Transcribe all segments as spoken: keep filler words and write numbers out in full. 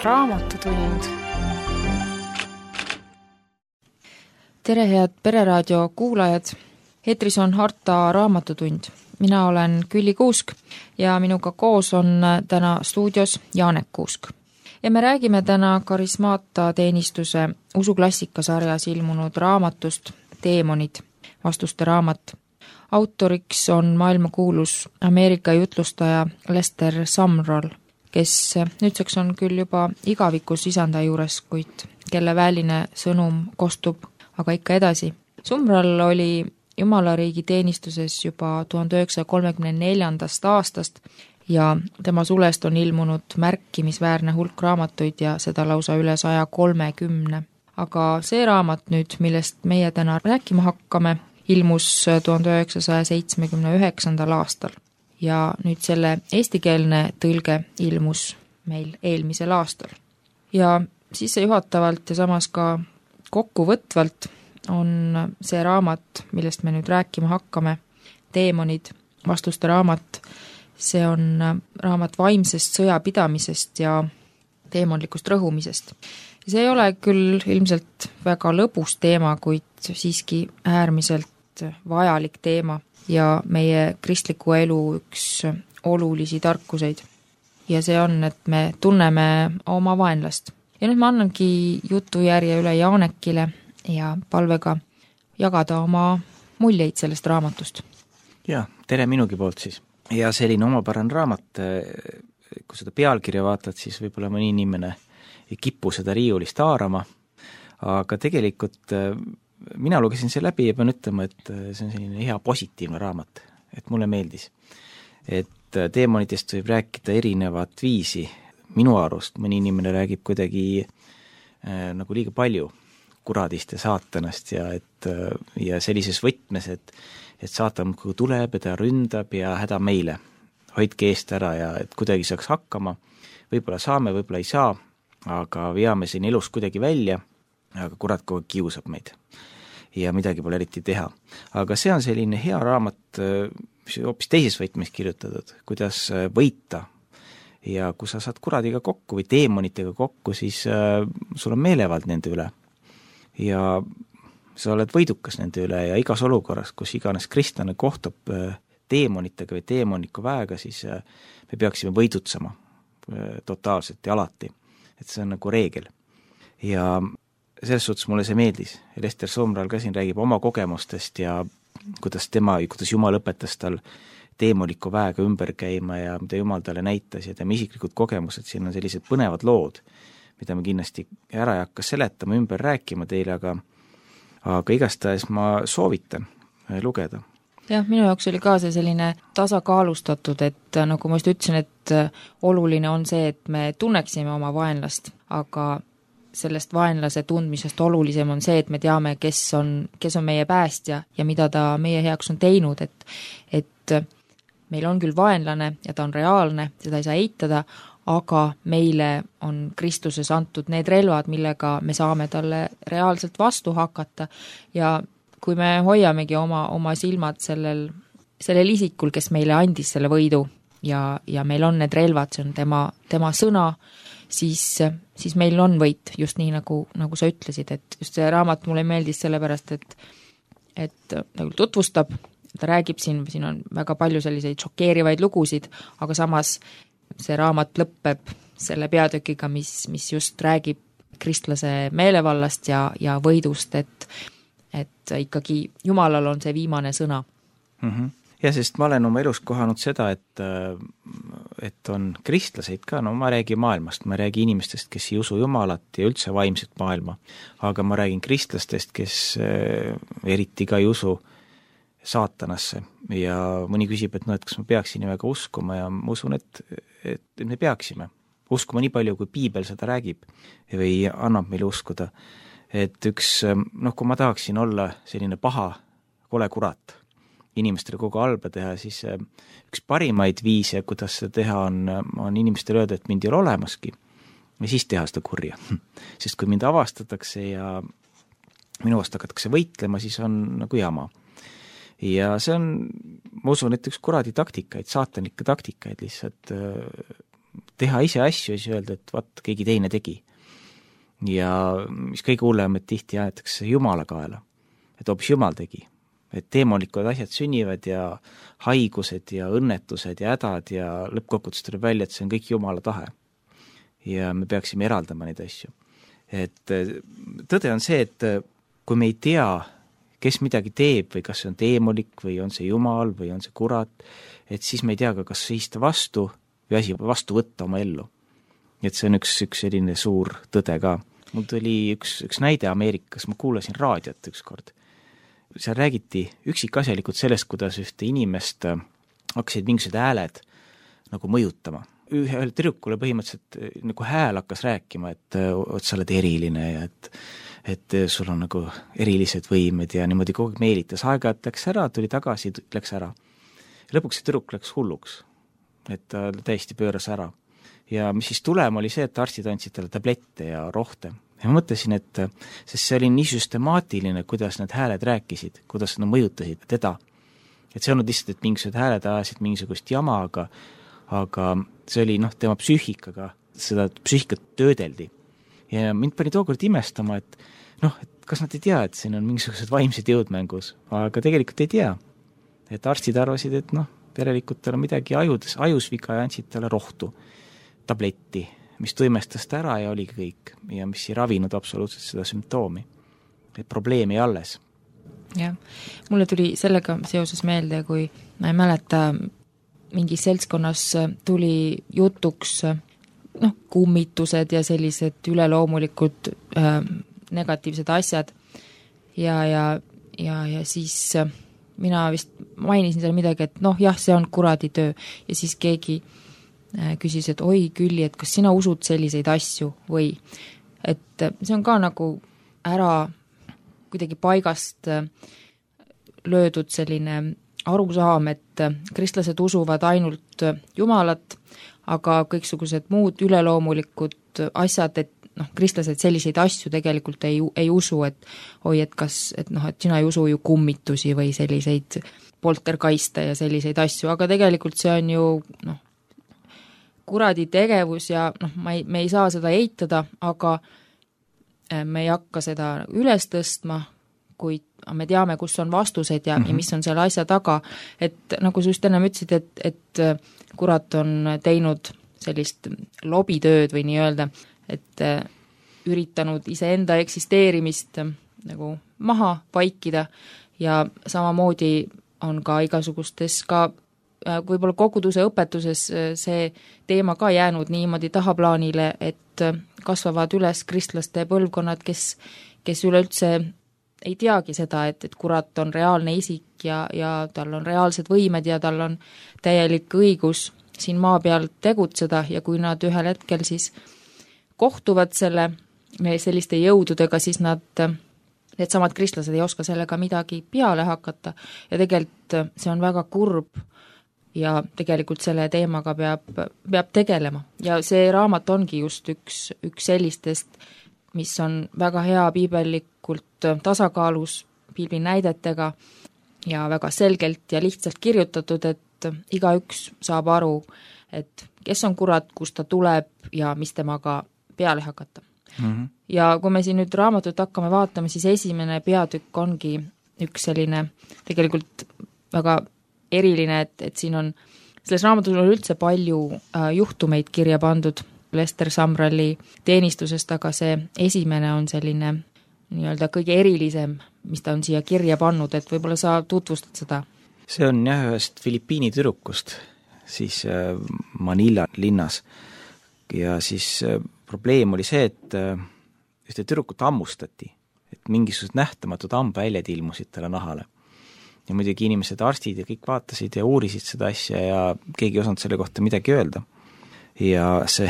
Raamatutund. Tere, head Pereraadio kuulajad! Eetris on Harta Raamatutund. Mina olen Külli Kuusk ja minuga koos on täna stuudios Jaanek Kuusk. Ja me räägime täna Karismaata teenistuse usuklassika-sarjas ilmunud raamatust Teemonid, vastuste raamat. Autoriks on maailmakuulus Ameerika jutlustaja Lester Sumrall, kes nüüdseks on küll juba igavikus isanda juures, kuid kelle väline sõnum kostub aga ikka edasi. Sumrall oli Jumalariigi teenistuses juba tuhande üheksasaja kolmekümne neljandast aastast ja tema sulest on ilmunud märkimisväärne hulk raamatuid ja seda lausa üle saja kolmekümne. Aga see raamat nüüd, millest meie täna rääkima hakkame, ilmus tuhande üheksasaja seitsmekümne üheksandal aastal ja nüüd selle eestikeelne tõlge ilmus meil eelmisel aastal. Ja sissejuhatavalt ja samas ka kokkuvõtvalt on see raamat, millest me nüüd rääkima hakkame, Teemonid, vastuste raamat. See on raamat vaimsest sõjapidamisest ja teemonlikust rõhumisest. See ei ole küll ilmselt väga lõbus teema, kuid siiski äärmiselt vajalik teema ja meie kristliku elu üks olulisi tarkuseid. Ja see on, et me tunneme oma vaenlast. Ja nüüd ma annangi jutujärje üle Jaanekile ja palvega jagada oma muljeid sellest raamatust. Ja, tere minugi poolt siis. Ja selline omapärane raamat, kui seda pealkirja vaatad, siis võib-olla mõni inimene ei kipu seda riiulist haarama, aga tegelikult mina lugesin see läbi ja pean ütlema, et see on selline hea positiivne raamat, et mulle meeldis. Et teemonitest võib rääkida erinevat viisi. Minu arust mõni inimene räägib kuidagi äh, nagu liiga palju kuradist ja saatanast ja, et, ja sellises võtmes, et, et saatan kui tuleb ja ta ründab ja häda meile. Hoidke eest ära ja et kuidagi saaks hakkama. Võib-olla saame, võib-olla ei saa, aga veame siin elus kuidagi välja, aga kurat kogu kiusab meid ja midagi pole eriti teha. Aga see on selline hea raamat, mis hoopis teises võtmes kirjutatud, kuidas võita. Ja kui sa saad kuradiga kokku või teemonitega kokku, siis äh, sul on meelevald nende üle. Ja sa oled võidukas nende üle ja igas olukorras, kus iganes kristlane kohtub äh, teemonitega või teemoniku väega, siis äh, me peaksime võidutsema äh, totaalselt ja alati. Et see on nagu reegel. Ja selles suhtes mulle see meeldis. Lester Sumrall ka siin räägib oma kogemustest ja kuidas tema, kuidas Jumal õpetas tal teemoniku väega ümber käima ja mida Jumal talle näitas ja tema isiklikud kogemused, siin on sellised põnevad lood, mida me kindlasti ära ei hakka seletama, ümber rääkima teile, aga, aga igastahes ma soovitan lugeda. Jah, minu jaoks oli ka see selline tasakaalustatud, et nagu ma just ütlesin, et oluline on see, et me tunneksime oma vaenlast, aga sellest vaenlase tundmisest olulisem on see, et me teame, kes on, kes on meie päästja ja mida ta meie heaks on teinud, et, et meil on küll vaenlane ja ta on reaalne, seda ei saa eitada, aga meile on Kristuses antud need relvad, millega me saame talle reaalselt vastu hakata ja kui me hoiamegi oma, oma silmad sellel, sellel isikul, kes meile andis selle võidu ja, ja meil on need relvad, see on tema, tema sõna, siis, siis meil on võit, just nii nagu, nagu sa ütlesid, et just see raamat mulle meeldis sellepärast, et, et nagu tutvustab, ta räägib siin, siin on väga palju selliseid šokeerivaid lugusid, aga samas see raamat lõppeb selle peatükiga, mis, mis just räägib kristlase meelevallast ja, ja võidust, et, et ikkagi Jumalal on see viimane sõna. Mm-hmm. Ja sest ma olen oma elus kohanud seda, et, et on kristlaseid ka, no ma räägin maailmast, ma räägin inimestest, kes ei usu Jumalat ja üldse vaimset maailma, aga ma räägin kristlastest, kes eriti ka ei usu saatanasse ja mõni küsib, et no, et kas ma peaksin väga uskuma ja ma usun, et, et me peaksime uskuma nii palju, kui piibel seda räägib või annab meile uskuda. Et üks, noh, kui ma tahaksin olla selline paha, kole kurat, inimestele kogu halba teha, siis üks parimaid viise, kuidas seda teha on, on inimestele öelda, et mind ei ole olemaski ja siis teha seda kurja. Sest kui mind avastatakse ja minu vastu hakatakse võitlema, siis on nagu jama. Ja see on, ma usun, et üks kuradi taktikaid, saatanlikke taktikaid lihtsalt teha ise asju ja siis öelda, et vaat, keegi teine tegi. Ja mis kõige hullem, et tihti aetakse Jumala kaela, et hoopis Jumal tegi. Et teemonikud asjad sünnivad ja haigused ja õnnetused ja hädad ja lõppkokkuvõttes tuleb välja, et see on kõik Jumala tahe. Ja me peaksime eraldama neid asju. Et tõde on see, et kui me ei tea, kes midagi teeb või kas see on teemolik või on see Jumal või on see kurat, et siis me ei tea ka, kas seista vastu või asi vastu võtta oma ellu. Et see on üks, üks selline suur tõde ka. Mul tuli üks, üks näide Ameerikas, ma kuulasin raadiot üks kord. Seal räägiti üksikasjalikult sellest, kuidas ühte inimest hakkasid mingisugused hääled nagu mõjutama. Ühel tüdrukule põhimõtteliselt nagu hääl hakkas rääkima, et, et sa oled eriline ja et, et sul on nagu erilised võimed ja niimoodi kogu aeg meelitas. Aeg-ajalt läks ära, tuli tagasi, läks ära. Lõpuks see tüdruk läks hulluks, et ta täiesti pööras ära. Ja mis siis tulema oli see, et arstid andsid talle tablette ja rohte. Ja ma mõtlesin, et sest see oli nii süstemaatiline, kuidas need hääled rääkisid, kuidas nad mõjutasid teda. Et see on lihtsalt, et mingisugused hääled ajasid mingisugust jama, aga, aga see oli noh, tema psüühikaga, seda psüühikat töödeldi. Ja mind pani tookord imestama, et noh, et kas nad ei tea, et siin on mingisugused vaimsed jõudmängus, aga tegelikult ei tea. Et arstid arvasid, et noh, perelikult tal on midagi ajudes, ajusviga ja andsid talle rohtu, tabletti, mis tuimestas ta ära ja oligi kõik ja mis ei ravinud absoluutselt seda sümptoomi. Et probleem ei alles. Jah, mulle tuli sellega seoses meelde, kui ma ei mäleta, mingis seltskonnas tuli jutuks noh, kummitused ja sellised üleloomulikud äh, negatiivsed asjad ja, ja, ja, ja siis äh, mina vist mainisin seal midagi, et noh, jah, see on kuradi töö ja siis keegi küsis, et oi Külli, et kas sina usud selliseid asju või et see on ka nagu ära kuidagi paigast löödud selline arusaam, et kristlased usuvad ainult Jumalat, aga kõiksugused muud üleloomulikud asjad, et noh, kristlased selliseid asju tegelikult ei, ei usu, et oi, et kas, et noh, et sina ei usu ju kummitusi või selliseid poltergeiste ja selliseid asju, aga tegelikult see on ju noh, kuradi tegevus ja noh, ma ei, me ei saa seda eitada, aga me ei hakka seda üles tõstma, kuid me teame, kus on vastused ja, mm-hmm. ja mis on selle asja taga, et nagu sa just ennem ütlesid, et, et kurat on teinud sellist lobitööd või nii öelda, et üritanud iseenda eksisteerimist nagu maha vaikida ja samamoodi on ka igasugustes ka võib-olla koguduse õpetuses see teema ka jäänud niimoodi tahaplaanile, et kasvavad üles kristlaste põlvkonnad, kes, kes üleüldse ei teagi seda, et, et kurat on reaalne isik ja, ja tal on reaalsed võimed ja tal on täielik õigus siin maa peal tegutseda ja kui nad ühel hetkel siis kohtuvad selle, selliste jõududega, siis nad, need samad kristlased ei oska sellega midagi peale hakata ja tegelikult see on väga kurb ja tegelikult selle teemaga peab, peab tegelema. Ja see raamat ongi just üks, üks sellistest, mis on väga hea piibellikult tasakaalus piiblinäidetega ja väga selgelt ja lihtsalt kirjutatud, et igaüks saab aru, et kes on kurat, kust ta tuleb ja mis temaga peale hakata. Mm-hmm. Ja kui me siin nüüd raamatut hakkame vaatama, siis esimene peatükk ongi üks selline tegelikult väga eriline, et, et siin on, selles raamatus on üldse palju äh, juhtumeid kirja pandud Lester Sumralli teenistusest, aga see esimene on selline nii-öelda kõige erilisem, mis ta on siia kirja pannud, et võib-olla sa tutvustad seda? See on jah ühest Filipiini tüdrukust, siis äh, Manila linnas ja siis äh, probleem oli see, et äh, ühte tüdrukut hammustati, et mingisugused nähtamatud hambaväljad ilmusid talle nahale. Ja muidugi inimesed, arstid ja kõik vaatasid ja uurisid seda asja ja keegi ei osanud selle kohta midagi öelda. Ja see,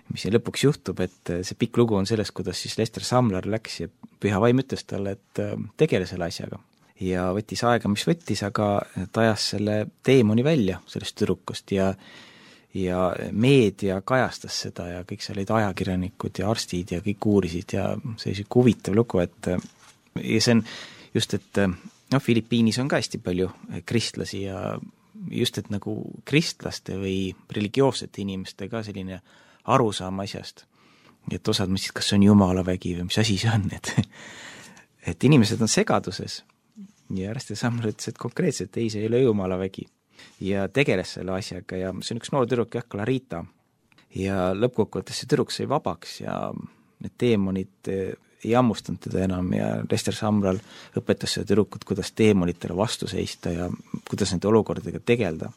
mis see lõpuks juhtub, et see pikk lugu on sellest, kuidas siis Lester Sumrall läks ja püha vaim ütles talle, et tegele selle asjaga. Ja võttis aega, mis võttis, aga ta ajas selle teemoni välja sellest tüdrukust ja, ja meedia kajastas seda ja kõik seal olid ajakirjanikud ja arstid ja kõik uurisid ja see oli huvitav lugu, et ja see on just, et noh, Filipiinis on ka hästi palju kristlasi ja just, et nagu kristlaste või religioossete inimeste ka selline arusaam asjast, et osad mõtlesid, kas see on jumala vägi või mis asi see on, et et inimesed on segaduses ja Lester Sumrall ütles, et konkreetselt ei, see ei ole jumala vägi ja tegeles selle asjaga ja see on üks noor tüdruk, jah, Clarita, ja lõppkokkuvõttes see tüdruk sai vabaks ja need teemonid ei hammustanud teda enam ja Lester Sumrall õpetas seda tüdrukut, kuidas teemonitele vastu seista ja kuidas nende olukordadega tegelda.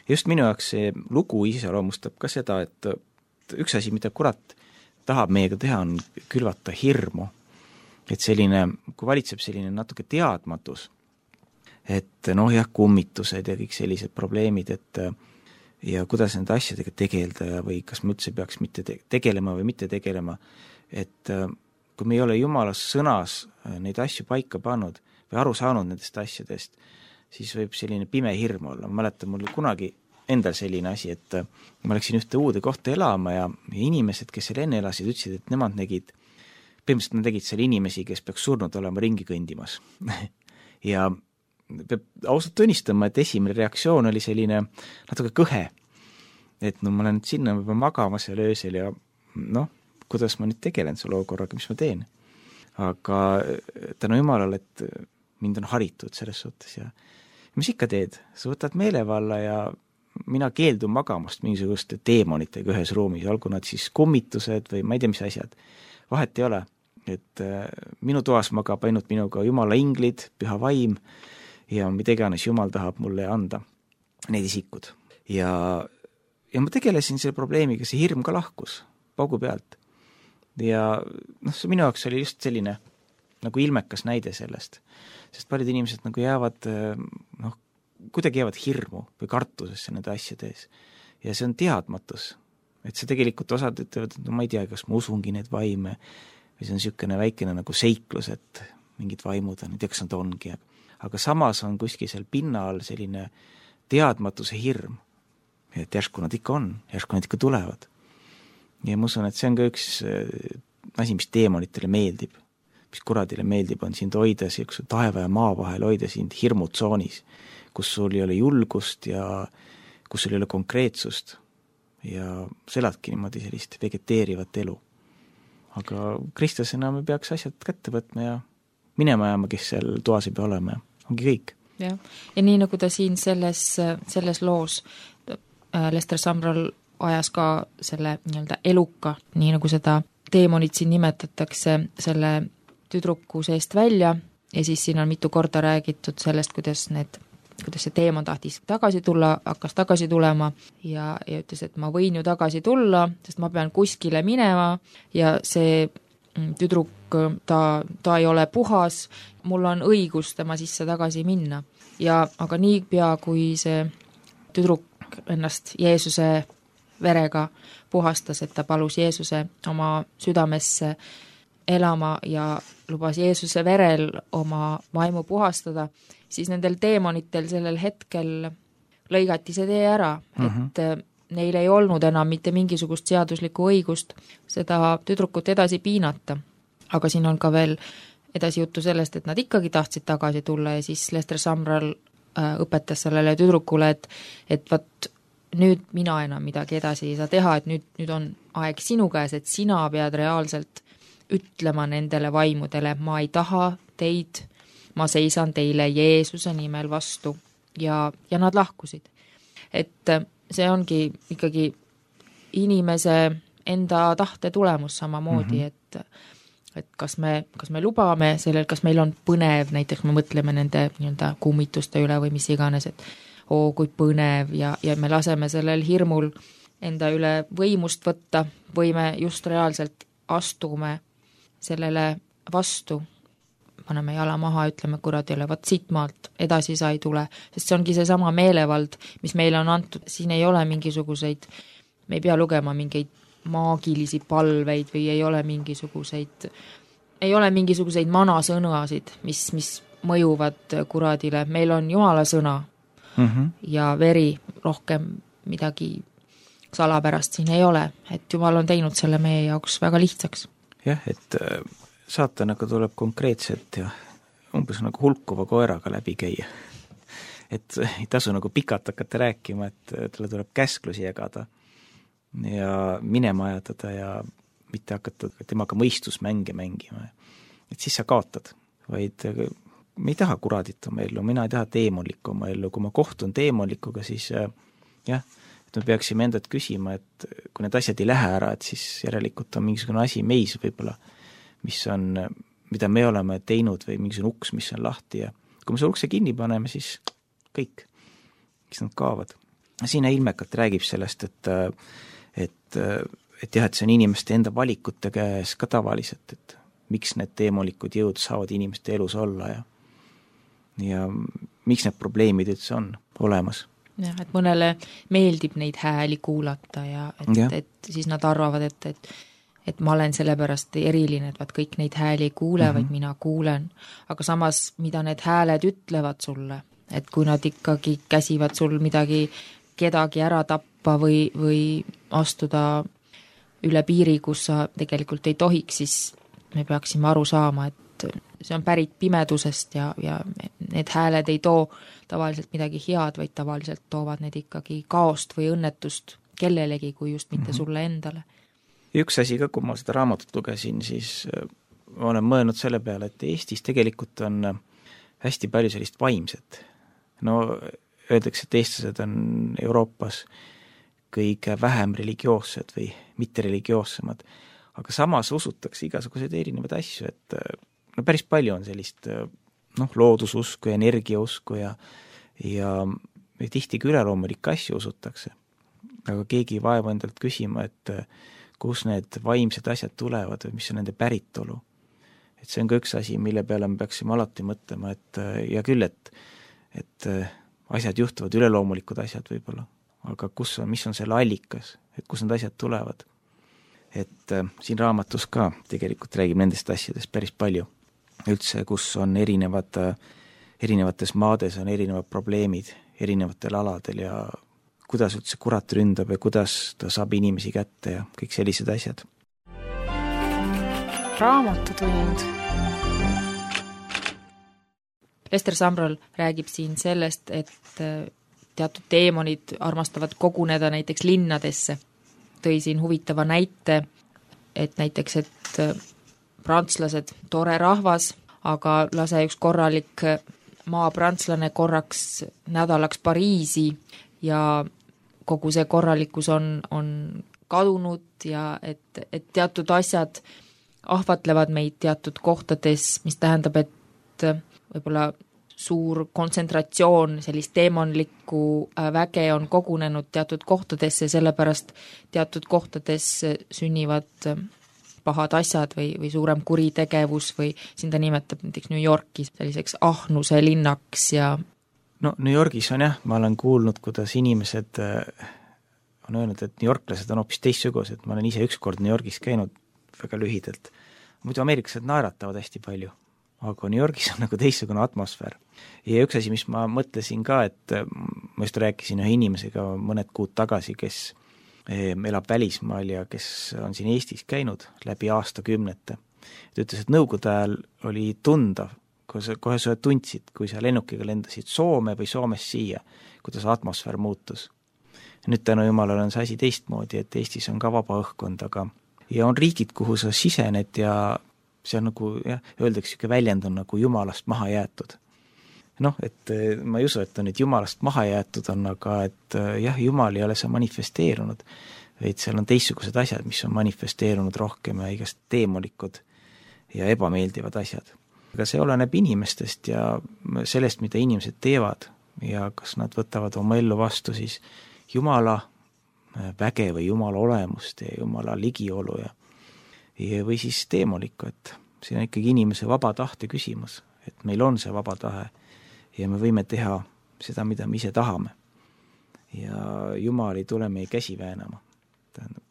Just minu jaoks see lugu iseloomustab ka seda, et üks asi, mida kurat tahab meiega teha, on külvata hirmu. Et selline, kui valitseb selline natuke teadmatus, et noh jah, kummitused ja kõik sellised probleemid, et ja kuidas nende asjadega tegeleda ja või kas me üldse peaks mitte tegelema või mitte tegelema, et kui me ei ole Jumala sõnas neid asju paika pannud või aru saanud nendest asjadest, siis võib selline pime hirm olla. Ma mäletan, mul kunagi endal selline asi, et ma läksin ühte uude kohta elama ja, ja inimesed, kes seal enne elasid, ütlesid, et nemad nägid, põhimõtteliselt nad tegid seal inimesi, kes peaks surnud olema ringi kõndimas. ja peab ausalt tunnistama, et esimene reaktsioon oli selline natuke kõhe, et no ma olen sinna, ma pean magama seal öösel ja noh, kuidas ma nüüd tegelen selle olukorraga, mis ma teen. Aga tänu Jumalale, et mind on haritud selles suhtes ja mis ikka teed, sa võtad meelevalla ja mina keeldun magamast mingisuguste teemonitega ühes ruumis, olgu nad siis kummitused või ma ei tea, mis asjad, vahet ei ole, et minu toas magab ainult minuga Jumala inglid, püha vaim ja mida iganes Jumal tahab mulle anda, need isikud. Ja, ja ma tegelesin selle probleemiga, see hirm ka lahkus paugu pealt. Ja noh, see minu jaoks oli just selline nagu ilmekas näide sellest, sest paljud inimesed nagu jäävad noh, kuidagi jäävad hirmu või kartusesse nende asjade ees. Ja see on teadmatus, et see tegelikult osad ütlevad, et no ma ei tea, kas ma usungi need vaime või see on niisugune väikene nagu seiklus, et mingid vaimud on, ei tea, kas nad ongi. Aga samas on kuskil seal pinna all selline teadmatuse hirm, et järsku nad ikka on, järsku nad ikka tulevad. Ja ma usun, et see on ka üks asi, mis teemonitele meeldib, mis kuradile meeldib, on sind hoida siukse taeva ja maa vahel, hoida sind hirmutsoonis, kus sul ei ole julgust ja kus sul ei ole konkreetsust ja sa eladki niimoodi sellist vegeteerivat elu. Aga kristlasena me peaks asjad kätte võtma ja minema jääma, kes seal toas ei pea olema ja ongi kõik. Ja, ja nii nagu ta siin selles, selles loos Lester Sumrall ajas ka selle nii-öelda eluka, nii nagu seda teemonit siin nimetatakse, selle tüdruku seest välja ja siis siin on mitu korda räägitud sellest, kuidas need kuidas see teemon tahtis tagasi tulla, hakkas tagasi tulema ja, ja ütles, et ma võin ju tagasi tulla, sest ma pean kuskile minema ja see tüdruk, ta, ta ei ole puhas, mul on õigus tema sisse tagasi minna. Ja aga nii pea, kui see tüdruk ennast Jeesuse verega puhastas, et ta palus Jeesuse oma südamesse elama ja lubas Jeesuse verel oma vaimu puhastada, siis nendel teemonitel sellel hetkel lõigati see tee ära, et uh-huh. neil ei olnud enam mitte mingisugust seaduslikku õigust seda tüdrukut edasi piinata. Aga siin on ka veel edasi juttu sellest, et nad ikkagi tahtsid tagasi tulla ja siis Lester Sumrall õpetas sellele tüdrukule, et, et vat nüüd mina enam midagi edasi ei saa teha, et nüüd, nüüd on aeg sinu käes, et sina pead reaalselt ütlema nendele vaimudele, ma ei taha teid, ma seisan teile Jeesuse nimel vastu ja, ja nad lahkusid. Et see ongi ikkagi inimese enda tahte tulemus samamoodi, mm-hmm. et, et kas me, kas me lubame sellel, kas meil on põnev, näiteks me mõtleme nende nii-öelda kummituste üle või mis iganes, et oo, kui põnev ja, ja me laseme sellel hirmul enda üle võimust võtta või me just reaalselt astume sellele vastu, paneme jala maha, ütleme kuradile, vaat siit maalt edasi sa ei tule, sest see ongi see sama meelevald, mis meile on antud, siin ei ole mingisuguseid, me ei pea lugema mingeid maagilisi palveid või ei ole mingisuguseid, ei ole mingisuguseid manasõnasid, mis, mis mõjuvad kuradile, meil on Jumala sõna mm-hmm. ja veri, rohkem midagi salapärast siin ei ole, et Jumal on teinud selle meie jaoks väga lihtsaks. Jah, et saatanaga tuleb konkreetselt ja umbes nagu hulkuva koeraga läbi käia. et ei tasu nagu pikalt hakata rääkima, et talle tuleb käsklusi jagada ja minema ajatada ja mitte hakata temaga mõistusmänge mängima. Et siis sa kaotad, vaid me ei taha kuradit oma ellu, mina ei taha teemonlikku oma ellu, kui ma kohtun teemonlikuga, siis jah, et me peaksime endalt küsima, et kui need asjad ei lähe ära, et siis järelikult on mingisugune asi meis võib-olla, mis on, mida me oleme teinud või mingisugune uks, mis on lahti ja kui me see ukse kinni paneme, siis kõik, kes nad kaovad. Siin ilmekalt räägib sellest, et, et, et jah, et see on inimeste enda valikute käes ka tavaliselt, et miks need teemolikud jõud saavad inimeste elus olla ja, ja miks need probleemid üldse on olemas. Jah, et mõnele meeldib neid hääli kuulata ja et, ja. et siis nad arvavad, et, et et ma olen sellepärast eriline, et vaat kõik neid hääli ei kuule, mm-hmm. vaid mina kuulen. Aga samas, mida need hääled ütlevad sulle, et kui nad ikkagi käsivad sul midagi, kedagi ära tappa või, või astuda üle piiri, kus sa tegelikult ei tohiks, siis me peaksime aru saama, et see on pärit pimedusest ja, ja need hääled ei too tavaliselt midagi head, vaid tavaliselt toovad need ikkagi kaost või õnnetust kellelegi, kui just mitte mm-hmm. sulle endale. Üks asi ka, kui ma seda raamatut lugesin, siis ma olen mõelnud selle peale, et Eestis tegelikult on hästi palju sellist vaimset. No öeldakse, et eestlased on Euroopas kõige vähem religioossed või mitte religioossemad, aga samas usutakse igasuguseid erinevaid asju, et no päris palju on sellist noh, loodususku ja energiausku ja, ja, ja tihti ka üleloomulikke asju usutakse. Aga keegi ei vaevu endalt küsima, et kus need vaimsed asjad tulevad või mis on nende päritolu. Et see on ka üks asi, mille peale me peaksime alati mõtlema, et ja küll, et, et asjad juhtuvad, üleloomulikud asjad võib-olla, aga kus on, mis on selle allikas, et kus need asjad tulevad. Et äh, siin raamatus ka tegelikult räägib nendest asjadest päris palju. Üldse, kus on erinevad, erinevates maades on erinevad probleemid erinevatel aladel ja kuidas üldse kurat ründab ja kuidas ta saab inimesi kätte ja kõik sellised asjad. Raamatutund. Ester Samral räägib siin sellest, et teatud teemonid armastavad koguneda näiteks linnadesse. Tõi siin huvitava näite, et näiteks, et prantslased, tore rahvas, aga lase üks korralik maapranslane korraks nädalaks Pariisi ja kogu see korralikkus on, on kadunud ja et, et teatud asjad ahvatlevad meid teatud kohtades, mis tähendab, et võib-olla suur kontsentratsioon sellist teemonlikku väge on kogunenud teatud kohtadesse, sellepärast teatud kohtades sünnivad pahad asjad või, või suurem kuritegevus või siin ta nimetab näiteks New Yorki selliseks ahnuse linnaks ja no New Yorgis on jah, ma olen kuulnud, kuidas inimesed on öelnud, et New Yorklased on hoopis teistsugused, ma olen ise ükskord New Yorgis käinud väga lühidalt. Muidu ameeriklased naeratavad hästi palju, aga New Yorgis on nagu teistsugune atmosfäär. Ja üks asi, mis ma mõtlesin ka, et ma just rääkisin ühe inimesega mõned kuud tagasi, kes elab välismaal ja kes on siin Eestis käinud läbi aastakümnete. Ta ütles, et nõukogude ajal oli tundav, kohe sa tundsid, kui sa lennukiga lendasid Soome või Soomest siia, kuidas atmosfäär muutus. Nüüd tänu jumalale on see asi teistmoodi, et Eestis on ka vaba õhkkond, aga ja on riigid, kuhu sa sisened ja see on nagu, jah, öeldakse, siuke väljend on nagu jumalast maha jäetud. Noh, et ma ei usu, et on nüüd jumalast maha jäetud on, aga et jah, jumal ei ole see manifesteerunud, vaid seal on teistsugused asjad, mis on manifesteerunud rohkem ja igast teemolikud ja ebameeldivad asjad. Aga see oleneb inimestest ja sellest, mida inimesed teevad ja kas nad võtavad oma ellu vastu siis Jumala väge või Jumala olemust ja Jumala ligiolu ja, ja või siis teemolikku, et see on ikkagi inimese vaba tahte küsimus, et meil on see vaba tahe ja me võime teha seda, mida me ise tahame. Ja Jumal ei tule meie käsi väänama.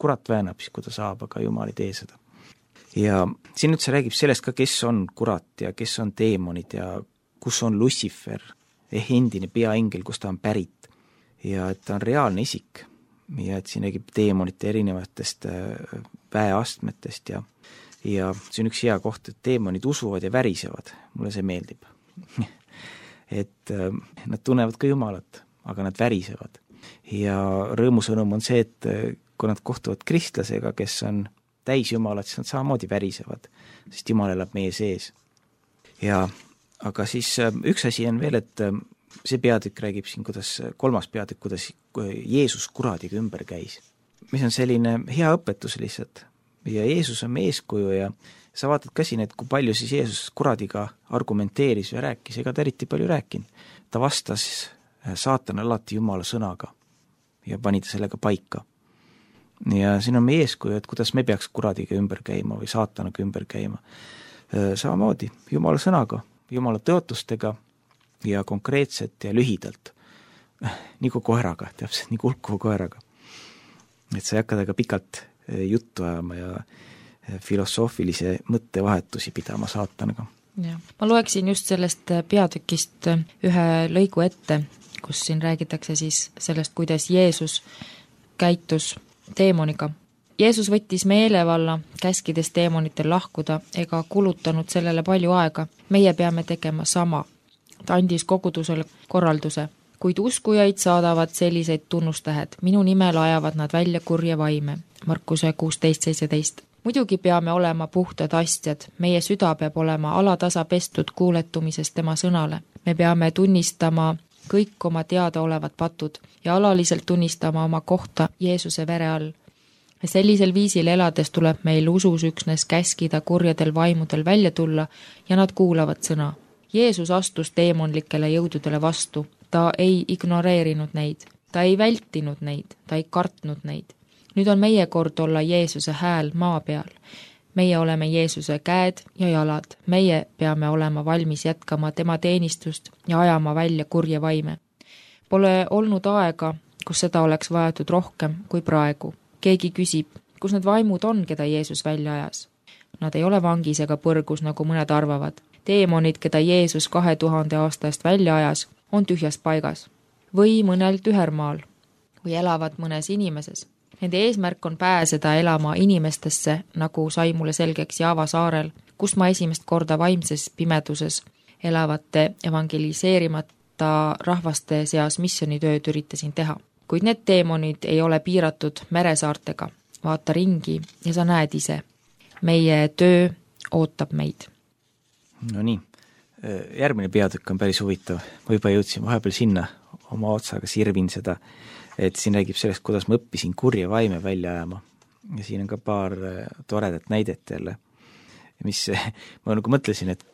Kurat väänab siis, kui ta saab, aga Jumal ei tee seda. Ja siin üldse räägib sellest ka, kes on kurat ja kes on teemonid ja kus on Lucifer, ehk endine peaingel, kus ta on pärit. Ja et ta on reaalne isik ja et siin räägib teemonite erinevatest väeastmetest ja, ja see on üks hea koht, et teemonid usuvad ja värisevad. Mulle see meeldib. et nad tunnevad ka Jumalat, aga nad värisevad. Ja rõõmusõnum on see, et kui nad kohtuvad kristlasega, kes on täis Jumalat, siis nad samamoodi värisevad, sest Jumal elab meie sees. Ja aga siis üks asi on veel, et see peatükk räägib siin, kuidas, kolmas peatükk, kuidas Jeesus kuradiga ümber käis. Mis on selline hea õpetus lihtsalt. Ja Jeesus on meie eeskuju ja sa vaatad ka siin, et kui palju siis Jeesus kuradiga argumenteeris ja rääkis, ega ta eriti palju rääkinud. Ta vastas saatan alati Jumala sõnaga ja pani ta sellega paika. Ja siin on meie eeskuju, et kuidas me peaks kuradiga ümber käima või saatanaga ümber käima. Samamoodi Jumala sõnaga, Jumala tõotustega ja konkreetselt ja lühidalt. Nagu koeraga, täpselt nagu hulkuva koeraga. Et sa ei hakka temaga pikalt juttu ajama ja filosoofilise mõttevahetusi pidama saatanaga. Ja. Ma loeksin just sellest peatükist ühe lõigu ette, kus siin räägitakse siis sellest, kuidas Jeesus käitus teemoniga. Jeesus võttis meelevalla, käskides teemonitel lahkuda ega kulutanud sellele palju aega. Meie peame tegema sama. Ta andis kogudusele korralduse, kuid uskujaid saadavad selliseid tunnustähed. Minu nimel ajavad nad välja kurje vaime. Markuse kuusteist seitseteist. Muidugi peame olema puhtad astjad. Meie süda peab olema alatasa pestud kuuletumisest tema sõnale. Me peame tunnistama kõik oma teada olevad patud ja alaliselt tunnistama oma kohta Jeesuse vere all. Sellisel viisil elades tuleb meil usus üksnes käskida kurjadel vaimudel välja tulla ja nad kuulavad sõna. Jeesus astus teemonlikele jõududele vastu. Ta ei ignoreerinud neid. Ta ei vältinud neid. Ta ei kartnud neid. Nüüd on meie kord olla Jeesuse hääl maa peal. Meie oleme Jeesuse käed ja jalad. Meie peame olema valmis jätkama tema teenistust ja ajama välja kurje vaime. Pole olnud aega, kus seda oleks vajatud rohkem kui praegu. Keegi küsib, kus need vaimud on, keda Jeesus välja ajas. Nad ei ole vangis ega põrgus, nagu mõned arvavad. Teemonid, keda Jeesus kahe tuhande aastast välja ajas, on tühjas paigas või mõnel tühermaal või elavad mõnes inimeses. Nende eesmärk on pääseda elama inimestesse, nagu sai mulle selgeks Java saarel, kus ma esimest korda vaimses pimeduses elavate evangeliseerimata rahvaste seas missionitööd üritasin teha. Kuid need teemonid ei ole piiratud meresaartega. Vaata ringi ja sa näed ise. Meie töö ootab meid. No nii, järgmine peatükk on päris huvitav. Ma juba jõudsin vahepeal sinna oma otsaga sirvin seda, et siin räägib sellest, kuidas ma õppisin kurje vaime välja ajama. Ja siin on ka paar toredat näidet jälle, mis ma nagu mõtlesin, et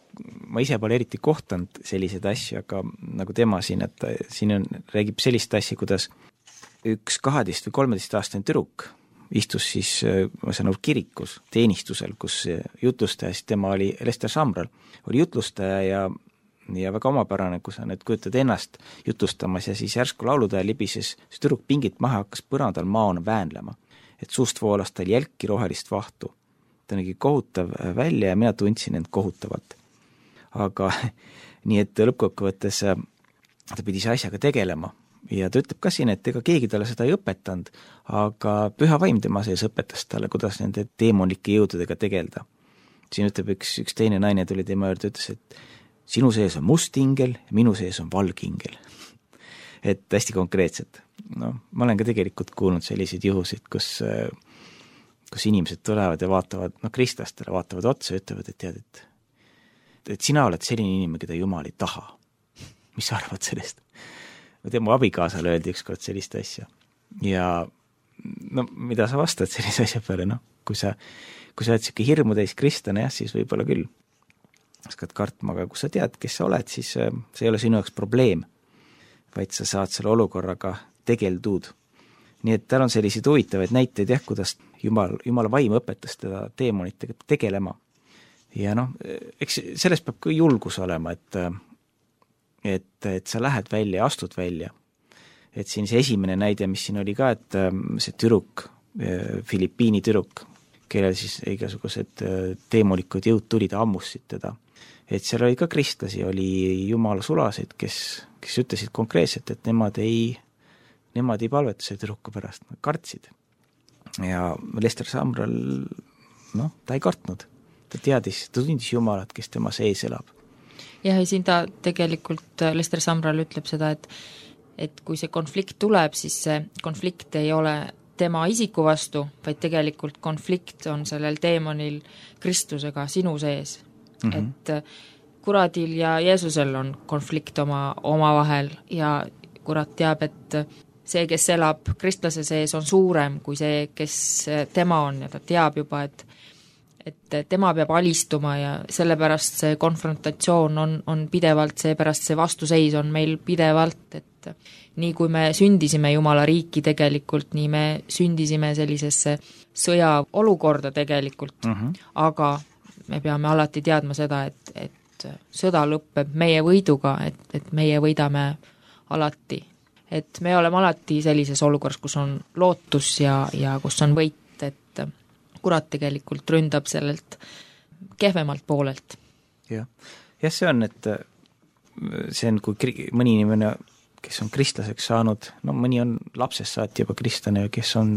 ma ise pole eriti kohtanud selliseid asju, aga nagu tema siin, et siin on, räägib sellist asja, kuidas üks kaheteist või kolmeteist aastane tüdruk istus siis, ma saan aru, kirikus teenistusel, kus jutlustaja, siis tema oli Lester Samral, oli jutlustaja ja ja väga omapärane, kui sa nüüd kujutad ennast jutlustamas ja siis järsku lauludaja libises, see tüdruk pingit maha hakkas põrandal maana väänlema, et suust voolas tal jälki rohelist vahtu. Ta nägi kohutav välja ja mina tundsin end kohutavalt. Aga nii, et lõppkokkuvõttes ta pidi see asjaga tegelema ja ta ütleb ka siin, et ega keegi talle seda ei õpetanud, aga püha vaim tema sees õpetas talle, kuidas nende teemonlike jõududega tegelda. Siin ütleb üks, üks teine naine tuli tema juurde, ütles, et sinu sees on must ingel, minu sees on valge ingel. Et hästi konkreetselt. No, ma olen ka tegelikult kuulnud selliseid juhusid, kus, kus inimesed tulevad ja vaatavad, no kristlastele vaatavad otsa ja ütlevad, et tead, et, et sina oled selline inimene, keda Jumal ei taha. Mis sa arvad sellest? Ma tean, mu abikaasale öeldi ükskord sellist asja. Ja no, mida sa vastad sellise asja peale? No, kui sa, kui sa oled siuke hirmu täis kristlane, jah, siis võib-olla küll hakkad kartma, aga kui sa tead, kes sa oled, siis see ei ole sinu jaoks probleem, vaid sa saad selle olukorraga tegeldud. Nii et tal on selliseid huvitavaid näiteid, jah, kuidas Jumal, Jumala vaim õpetas teda teemonitega tegelema. Ja noh, eks sellest peab ka julgus olema, et, et, et sa lähed välja ja astud välja. Et siin see esimene näide, mis siin oli ka, et see tüdruk, Filipiini tüdruk, kellel siis igasugused teemonikud jõud tulid, ammussid teda. Et seal oli ka kristlasi, oli Jumala sulasid, kes, kes ütlesid konkreetselt, et nemad ei, nemad ei palveta see tüdruku pärast, nad kartsid. Ja Lester Samral, noh, ta ei kartnud. Ta teadis, ta tundis Jumalat, kes tema sees elab. jah, ja siin ta tegelikult, Lester Sumrall ütleb seda, et et kui see konflikt tuleb, siis see konflikt ei ole tema isiku vastu, vaid tegelikult konflikt on sellel teemonil Kristusega sinu sees. Mm-hmm. Et kuradil ja Jeesusel on konflikt oma, oma vahel ja kurat teab, et see, kes elab kristlase sees, on suurem kui see, kes tema on ja ta teab juba, et et tema peab alistuma ja sellepärast see konfrontatsioon on, on pidevalt, seepärast see vastuseis on meil pidevalt, et nii kui me sündisime Jumala riiki tegelikult, nii me sündisime sellisesse sõjaolukorda tegelikult, mm-hmm. aga me peame alati teadma seda, et, et sõda lõpeb meie võiduga, et, et meie võidame alati. Et me oleme alati sellises olukorras, kus on lootus ja, ja kus on võit, et kurat tegelikult ründab sellelt kehvemalt poolelt. Jah, jah see on, et see on, kui kri- mõni inimene, kes on kristlaseks saanud, no mõni on lapsest saati juba kristlane, kes on,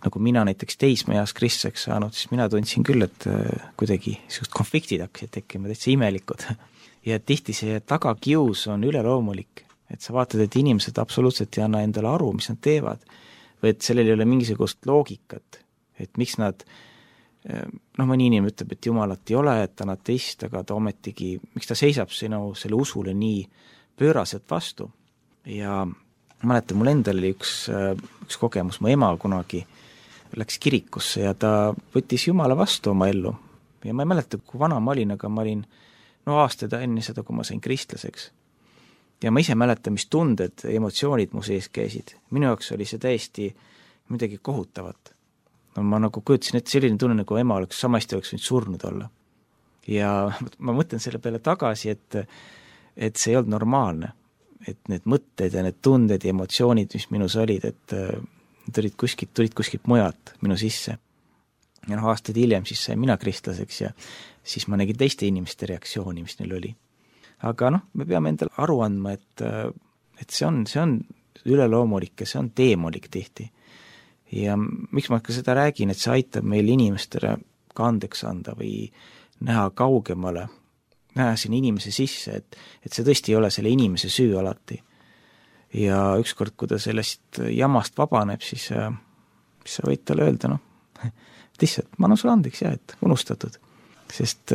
nagu mina näiteks teismeeas kristlaseks saanud, siis mina tundsin küll, et kuidagi sellised konfliktid hakkasid tekkima, täitsa imelikud. Ja tihti see tagakius on üleloomulik, et sa vaatad, et inimesed absoluutselt ei anna endale aru, mis nad teevad, või et sellel ei ole mingisugust loogikat, et miks nad, noh mõni inimene ütleb, et Jumalat ei ole, et ta on ateist, aga ta ometigi, miks ta seisab sinu selle usule nii pööraselt vastu. Ja mäletan, mul endal oli üks, üks kogemus, mu ema kunagi läks kirikusse ja ta võttis Jumala vastu oma ellu. Ja ma ei mäleta, kui vana ma olin, aga ma olin no aastaid enne seda, kui ma sain kristlaseks. Ja ma ise mäletan, mis tunded, emotsioonid mu sees käisid. Minu jaoks oli see täiesti midagi kohutavat. No ma nagu kujutasin, et selline tunne, nagu ema oleks, samasti oleks võinud surnud olla. Ja ma mõtlen selle peale tagasi, et, et see ei olnud normaalne. Et need mõtted ja need tunded ja emotsioonid, mis minus olid, et tulid kuskilt, tulid kuskilt mujalt minu sisse. Ja noh, aastaid hiljem siis sain mina kristlaseks ja siis ma nägin teiste inimeste reaktsiooni, mis neil oli. Aga noh, me peame endale aru andma, et, et see on, see on üleloomulik ja see on teemolik tihti. Ja miks ma ka seda räägin, et see aitab meil inimestele ka andeks anda või näha kaugemale, näha sinna inimese sisse, et, et see tõesti ei ole selle inimese süü alati. Ja ükskord, kui ta sellest jamast vabaneb, siis, siis sa võid talle öelda, noh, lihtsalt, ma annan sulle andeks, jah, et unustatud. Sest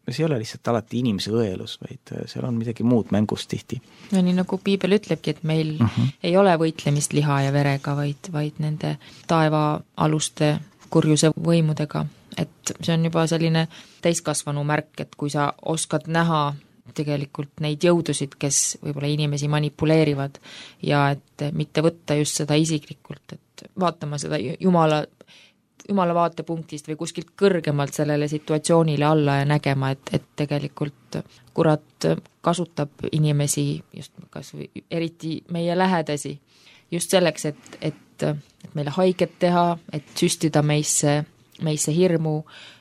see ei ole lihtsalt alati inimese õelus, vaid seal on midagi muud mängust tihti. No nii nagu Piibel ütlebki, et meil uh-huh. ei ole võitlemist liha ja verega, vaid, vaid nende taeva aluste kurjuse võimudega. Et see on juba selline täiskasvanu märk, et kui sa oskad näha tegelikult neid jõudusid, kes võib-olla inimesi manipuleerivad ja et mitte võtta just seda isiklikult, et vaatama seda Jumala Jumala vaatepunktist või kuskilt kõrgemalt sellele situatsioonile alla ja nägema, et, et tegelikult kurat kasutab inimesi, just kas või eriti meie lähedasi, just selleks, et, et, et meile haiget teha, et süstida meisse, meisse hirmu,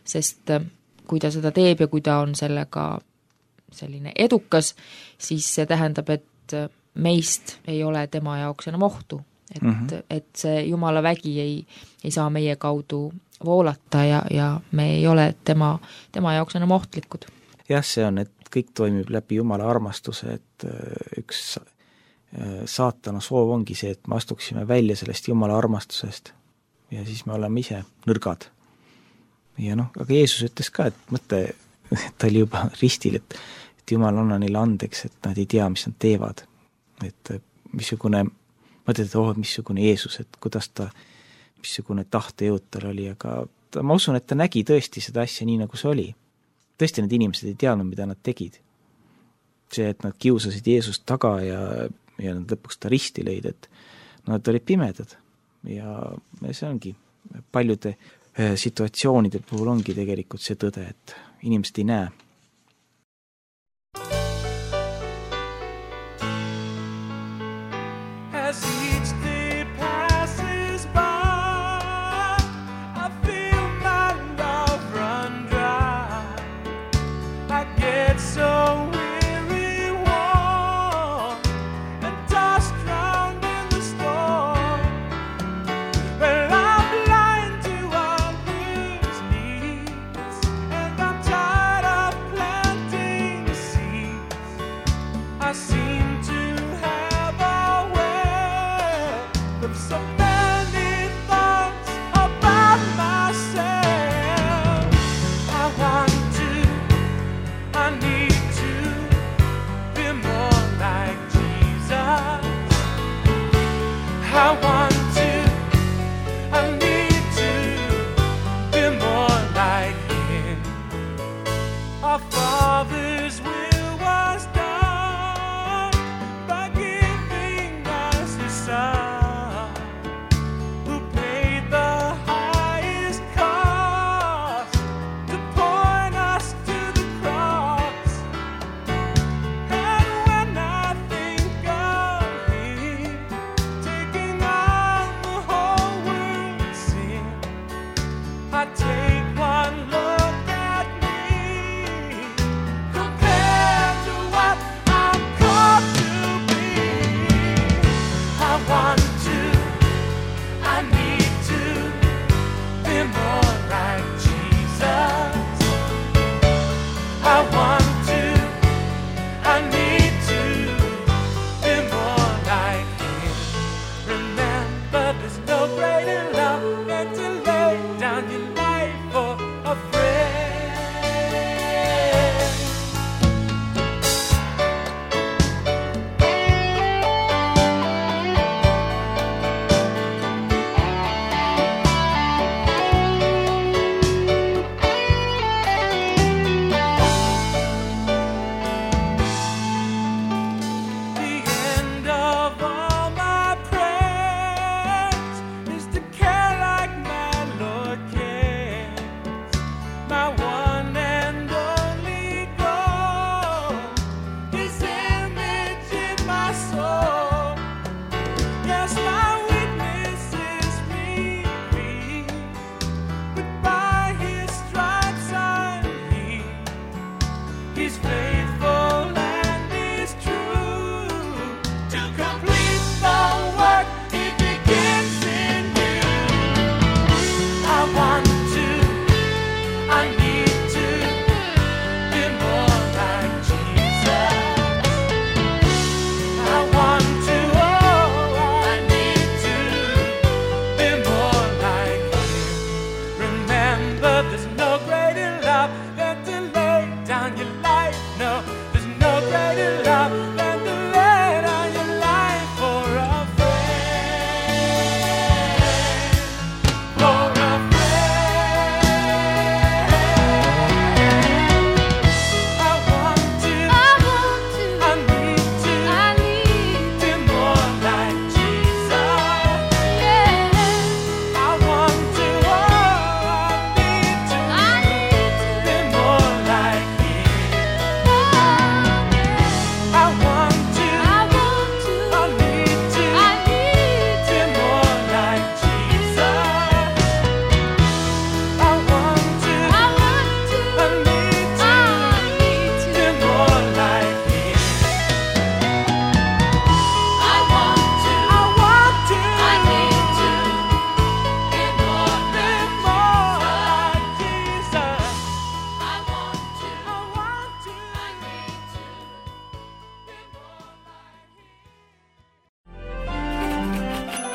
sest kui ta seda teeb ja kui ta on sellega selline edukas, siis see tähendab, et meist ei ole tema jaoks enam ohtu. Et, mm-hmm. et see Jumala vägi ei, ei saa meie kaudu voolata ja, ja me ei ole tema, tema jaoks enam ohtlikud. Jah, see on, et kõik toimib läbi Jumala armastuse, et üks saatana soov ongi see, et me astuksime välja sellest Jumala armastusest ja siis me oleme ise nõrgad. Ja noh, aga Jeesus ütles ka, et mõte, ta oli juba ristil, et, et Jumal anna neile andeks, et nad ei tea, mis nad teevad. Et missugune mõtled, et oh, missugune Jeesus, et kuidas ta, missugune tahtejõud tal oli, aga ta, ma usun, et ta nägi tõesti seda asja nii, nagu see oli. Tõesti need inimesed ei teadnud, mida nad tegid. See, et nad kiusasid Jeesust taga ja, ja nad lõpuks ta risti lõid, et nad olid pimedad. Ja see ongi, paljude situatsioonide puhul ongi tegelikult see tõde, et inimesed ei näe. Well, I'm blind to all his needs, and I'm tired of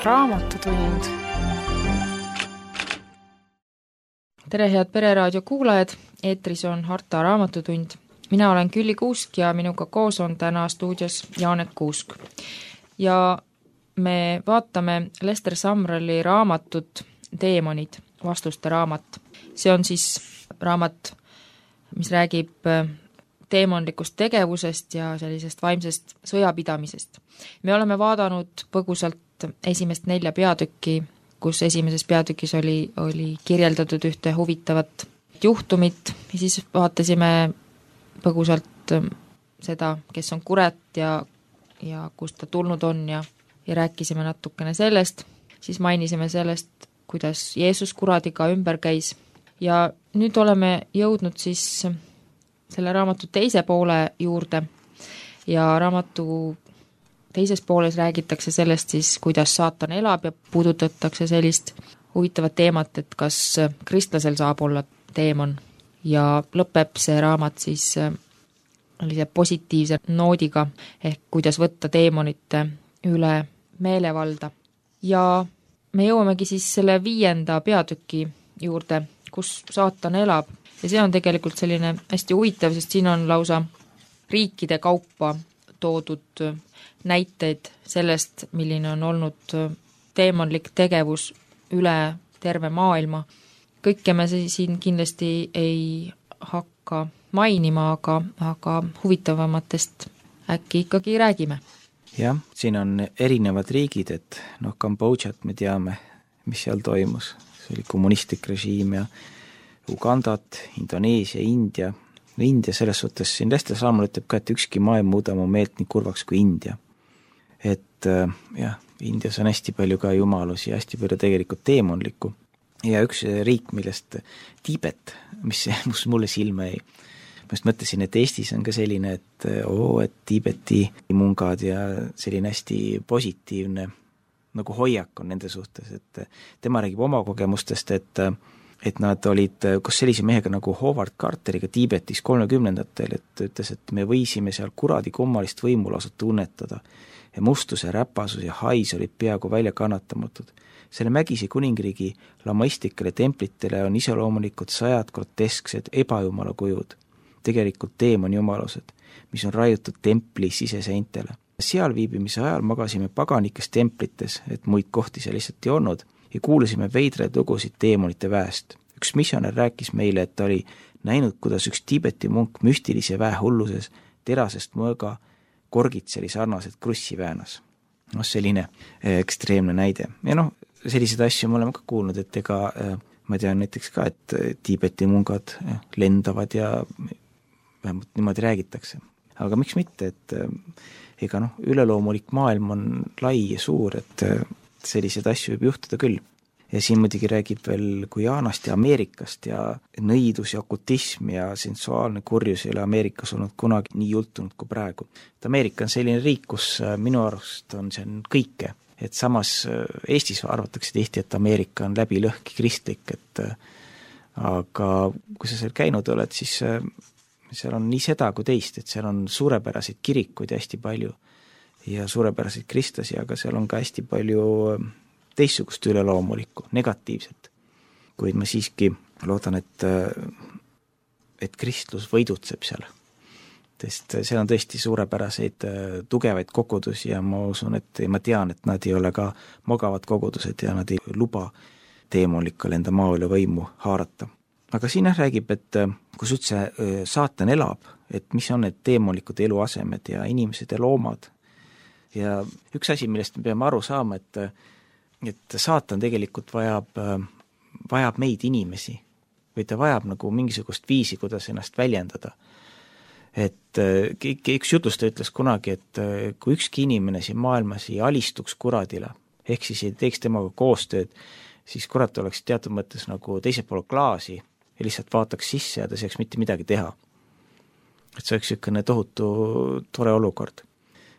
Raamatutund. Tere, head Pereraadio kuulajad, eetris on Harta Raamatutund. Mina olen Külli Kuusk ja minuga koos on täna stuudios Jaanek Kuusk. Ja me vaatame Lester Sumralli raamatut Teemonid, vastuste raamat. See on siis raamat, mis räägib teemonlikust tegevusest ja sellisest vaimsest sõjapidamisest. Me oleme vaadanud põgusalt esimest nelja peatükki, kus esimeses peatükis oli, oli kirjeldatud ühte huvitavat juhtumit ja siis vaatasime põgusalt seda, kes on kurat ja, ja kust ta tulnud on ja, ja rääkisime natukene sellest, siis mainisime sellest, kuidas Jeesus kuradiga ümber käis ja nüüd oleme jõudnud siis selle raamatu teise poole juurde ja raamatu teises pooles räägitakse sellest siis, kuidas saatan elab ja puudutatakse sellist huvitavat teemat, et kas kristlasel saab olla teemon ja lõpeb see raamat siis sellise positiivse noodiga ehk kuidas võtta teemonite üle meelevalda. Ja me jõuamegi siis selle viienda peatüki juurde, kus saatan elab ja see on tegelikult selline hästi huvitav, sest siin on lausa riikide kaupa toodud näiteid sellest, milline on olnud teemonlik tegevus üle terve maailma. Kõike me siin kindlasti ei hakka mainima, aga, aga huvitavamatest äkki ikkagi räägime. Jah, siin on erinevad riigid, et noh, Kambodžat me teame, mis seal toimus. See oli kommunistlik režiim ja Ugandat, Indoneesia, India. India selles suhtes, siin Lester Sumrall ütleb ka, et ükski maa ei muuda mu meelt nii kurvaks kui India. Et jah, Indias on hästi palju ka jumalusi ja hästi palju tegelikult teemonlikku. Ja üks riik, millest Tiibet, mis, mis mulle silma ei. Ma just mõtlesin, et Eestis on ka selline, et oo, et Tiibeti mungad ja selline hästi positiivne nagu hoiak on nende suhtes, et tema räägib oma kogemustest, et et nad olid koos sellise mehega nagu Howard Carteriga Tiibetis kolmekümnendatel, et ütles, et me võisime seal kuradi kummalist võimu lausa tunnetada ja mustuse, räpasus ja hais olid peaaegu välja kannatamatud. Selle Mägisi kuningriigi lamaistikele templitele on iseloomulikud sajad grotesksed ebajumala kujud, tegelikult teemonjumalused, mis on raiutud templi siseseintele. Seal viibimise ajal magasime paganikes templites, et muid kohti seal lihtsalt ei olnud, ja kuulasime veidraid lugusid teemonite väest. Üks missionär rääkis meile, et ta oli näinud, kuidas üks Tiibeti munk müstilise väe hulluses terasest mõõga korgitseli sarnaselt krussi väänas. No selline ekstreemne näide. Ja noh, selliseid asju me oleme ka kuulnud, et ega ma tean näiteks ka, et Tiibeti mungad lendavad ja vähemalt niimoodi räägitakse. Aga miks mitte, et ega noh, üleloomulik maailm on lai ja suur, et selliseid asju võib juhtuda küll. Ja siin muidugi räägib veel Guyanast ja Ameerikast ja nõidus ja okutism ja sensuaalne kurjus ei ole Ameerikas olnud kunagi nii jultunud kui praegu. Et Ameerika on selline riik, kus minu arust on see kõike. Et samas Eestis arvatakse tihti, et Ameerika on läbi lõhki kristlik, et aga kui sa seal käinud oled, siis seal on nii seda kui teist, et seal on suurepäraseid kirikuid hästi palju ja suurepäraseid kristlasi, aga seal on ka hästi palju teistsugust üleloomulikku, negatiivset. Kuid ma siiski loodan, et, et kristlus võidutseb seal. Sest seal on tõesti suurepäraseid tugevaid kogudusi ja ma usun, et ma tean, et nad ei ole ka magavad kogudused ja nad ei luba teemolikal enda maa üle võimu haarata. Aga siin räägib, et kus üldse saatan elab, et mis on need teemolikud eluasemed ja inimesed ja loomad. Ja üks asi, millest me peame aru saama, et, et saatan tegelikult vajab, vajab meid inimesi või ta vajab nagu mingisugust viisi, kuidas ennast väljendada. Et üks jutustaja ütles kunagi, et kui ükski inimene siin maailmas ei alistuks kuradile, ehk siis ei teeks temaga koostööd, siis kurat oleks teatud mõttes nagu teisel pool klaasi ja lihtsalt vaataks sisse ja ta saaks mitte midagi teha. Et see oleks ükene tohutu tore olukord.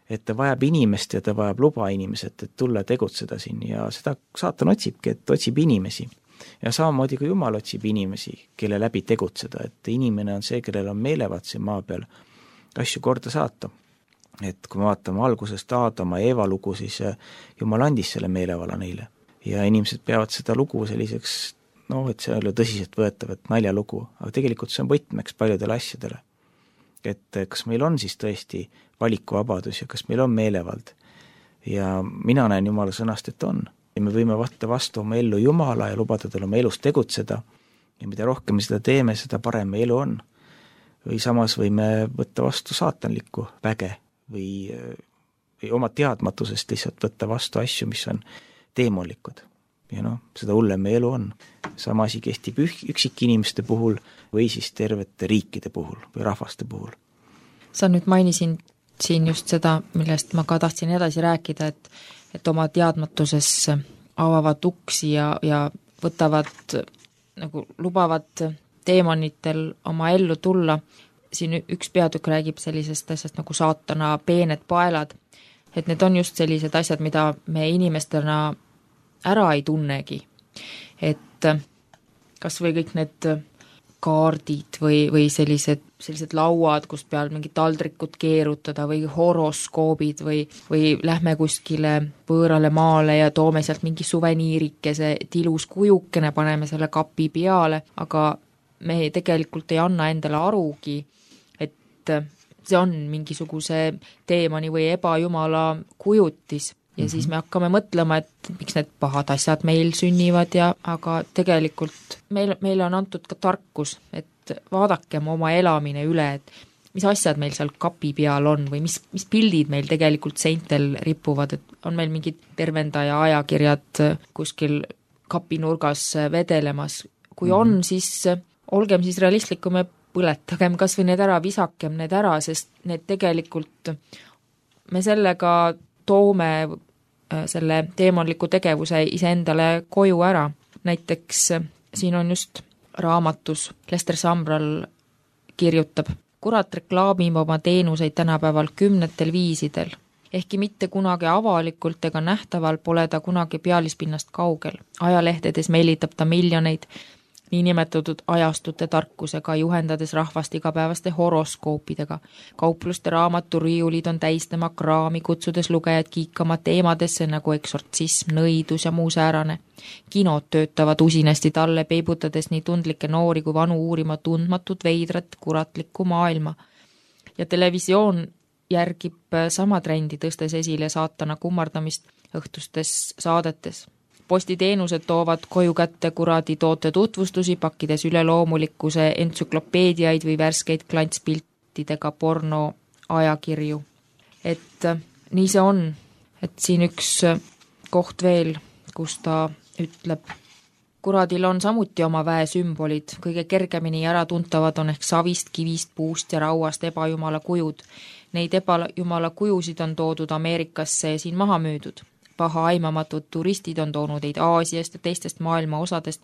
Et ta vajab inimest ja ta vajab luba inimesed, et tulla tegutseda siin ja seda saatan otsibki, et otsib inimesi. Ja samamoodi kui Jumal otsib inimesi, kelle läbi tegutseda, et inimene on see, kellel on meelevad siin maa peal asju korda saata. Et kui me vaatame algusest Aadama ja Eeva lugu, siis Jumal andis selle meelevala neile. Ja inimesed peavad seda lugu selliseks, no, et see on tõsiselt võetav, et naljalugu, aga tegelikult see on võtmeks paljudele asjadele. Et kas meil on siis tõesti valikuvabadus ja kas meil on meelevald. Ja mina näen Jumala sõnast, et on. Ja me võime võtta vastu oma ellu Jumala ja lubada tal oma elus tegutseda. Ja mida rohkem me seda teeme, seda parem elu on. Või samas võime võtta vastu saatanlikku väge või, või oma teadmatusest lihtsalt võtta vastu asju, mis on teemolikud. Ja noh, seda hullem elu on. Sama asi kehtib üksik inimeste puhul või siis tervete riikide puhul või rahvaste puhul. Sa nüüd mainisin siin just seda, millest ma ka tahtsin edasi rääkida, et, et oma teadmatuses avavad uksi ja, ja võtavad, nagu lubavad teemonitel oma ellu tulla. Siin üks peatükk räägib sellisest asjast nagu saatana peened paelad, et need on just sellised asjad, mida me inimestena ära ei tunnegi. Et kas või kõik need kaardid või, või sellised, sellised lauad, kus peal mingid taldrikud keerutada või horoskoobid või, või lähme kuskile võõrale maale ja toome sealt mingi suveniirikese, et ilus kujukene, paneme selle kapi peale, aga me tegelikult ei anna endale arugi, et see on mingisuguse teemani või ebajumala kujutis. Ja mm-hmm. siis me hakkame mõtlema, et miks need pahad asjad meil sünnivad ja aga tegelikult meil, meil on antud ka tarkus, et vaadakem oma elamine üle, et mis asjad meil seal kapi peal on või mis, mis pildid meil tegelikult seintel ripuvad, et on meil mingid tervendaja ajakirjad kuskil kapinurgas vedelemas. Kui mm-hmm. on, siis olgem siis realistlikum ja põletagem kas või need ära, visakem need ära, sest need tegelikult me sellega toome selle teemonliku tegevuse iseendale koju ära. Näiteks siin on just raamatus Lester Sumrall kirjutab, kurat reklaamib oma teenuseid tänapäeval kümnetel viisidel. Ehkki mitte kunagi avalikult ega nähtaval pole ta kunagi pealispinnast kaugel. Ajalehtedes meelitab ta miljoneid, niinimetatud ajastute tarkusega, juhendades rahvast igapäevaste horoskoopidega. Kaupluste raamaturiiulid on täis tema kraami, kutsudes lugejad kiikama teemadesse nagu eksortsism, nõidus ja muu säärane. Kinod töötavad usinasti talle, peibutades nii tundlikke noori kui vanu uurima tundmatut veidrat kuratlikku maailma. Ja televisioon järgib sama trendi, tõstes esile saatana kummardamist õhtustes saadetes. Postiteenused toovad koju kätte kuradi toote tutvustusi, pakkides üleloomulikkuse entsüklopeediaid või värskeid klantspiltidega porno ajakirju. Et nii see on, et siin üks koht veel, kus ta ütleb, kuradil on samuti oma väesümbolid, kõige kergemini ära tuntavad on ehk savist, kivist, puust ja rauast ebajumala kujud. Neid ebajumala kujusid on toodud Ameerikasse ja siin maha müüdud. Paha aimamatud turistid on toonud neid Aasiast ja teistest maailma osadest,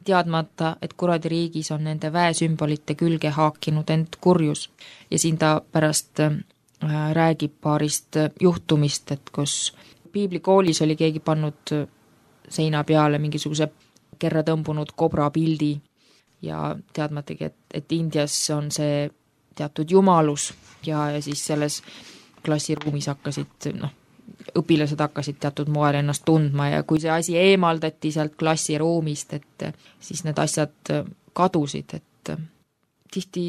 teadmata, et kuradi riigis on nende väesümbolite külge haakinud end kurjus. Ja siin ta pärast räägib paarist juhtumist, et kus piiblikoolis oli keegi pannud seina peale mingisuguse kerra tõmbunud kobra pildi ja teadmatagi, et, et Indias on see teatud jumalus ja, ja siis selles klassiruumis hakkasid, noh, õpilased hakkasid teatud moel ennast tundma ja kui see asi eemaldati sealt klassiruumist, et siis need asjad kadusid, et tihti,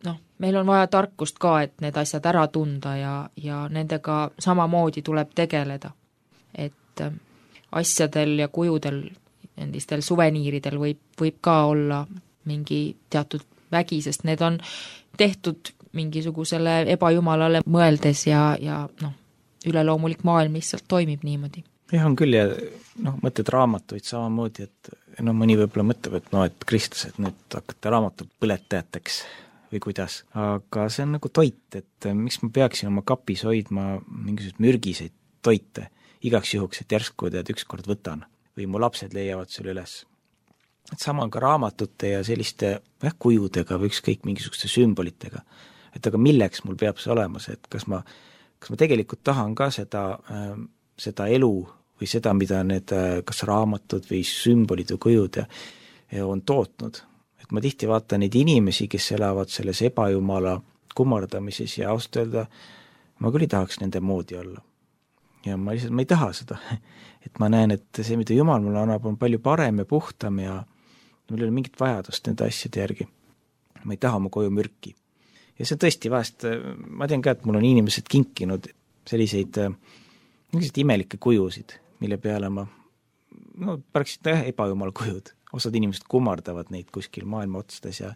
noh, meil on vaja tarkust ka, et need asjad ära tunda ja, ja nendega samamoodi tuleb tegeleda. Et asjadel ja kujudel, endistel suveniiridel võib, võib ka olla mingi teatud vägi, sest need on tehtud mingisugusele ebajumalale mõeldes ja, ja noh, üleloomulik maailm lihtsalt toimib niimoodi. Jah, on küll ja noh, mõtled raamatuid samamoodi, et no mõni võib-olla mõtleb, et no, et kristlased nüüd hakkate raamatut põletajateks või kuidas, aga see on nagu toit, et miks ma peaksin oma kapis hoidma mingisuguseid mürgiseid toite igaks juhuks, et järsku tead ükskord võtan või mu lapsed leiavad selle üles. Et sama on ka raamatute ja selliste jah, kujudega või ükskõik mingisuguste sümbolitega, et aga milleks mul peab see olemas, et kas ma kas ma tegelikult tahan ka seda, seda elu või seda, mida need kas raamatud või sümbolid või kujud on tootnud. Et ma tihti vaatan neid inimesi, kes elavad selles ebajumala kummardamises ja ausalt öelda, ma küll ei tahaks nende moodi olla. Ja ma lihtsalt, ma ei taha seda. Et ma näen, et see, mida Jumal mulle annab, on palju parem ja puhtam ja mul ei ole mingit vajadust nende asjade järgi. Ma ei taha oma koju mürki. Ja see tõesti vahest, ma tean ka, et mul on inimesed kinkinud selliseid selliseid imelikke kujusid, mille peale ma, no päraksid jah, ebajumal kujud. Osad inimesed kummardavad neid kuskil maailma otsades ja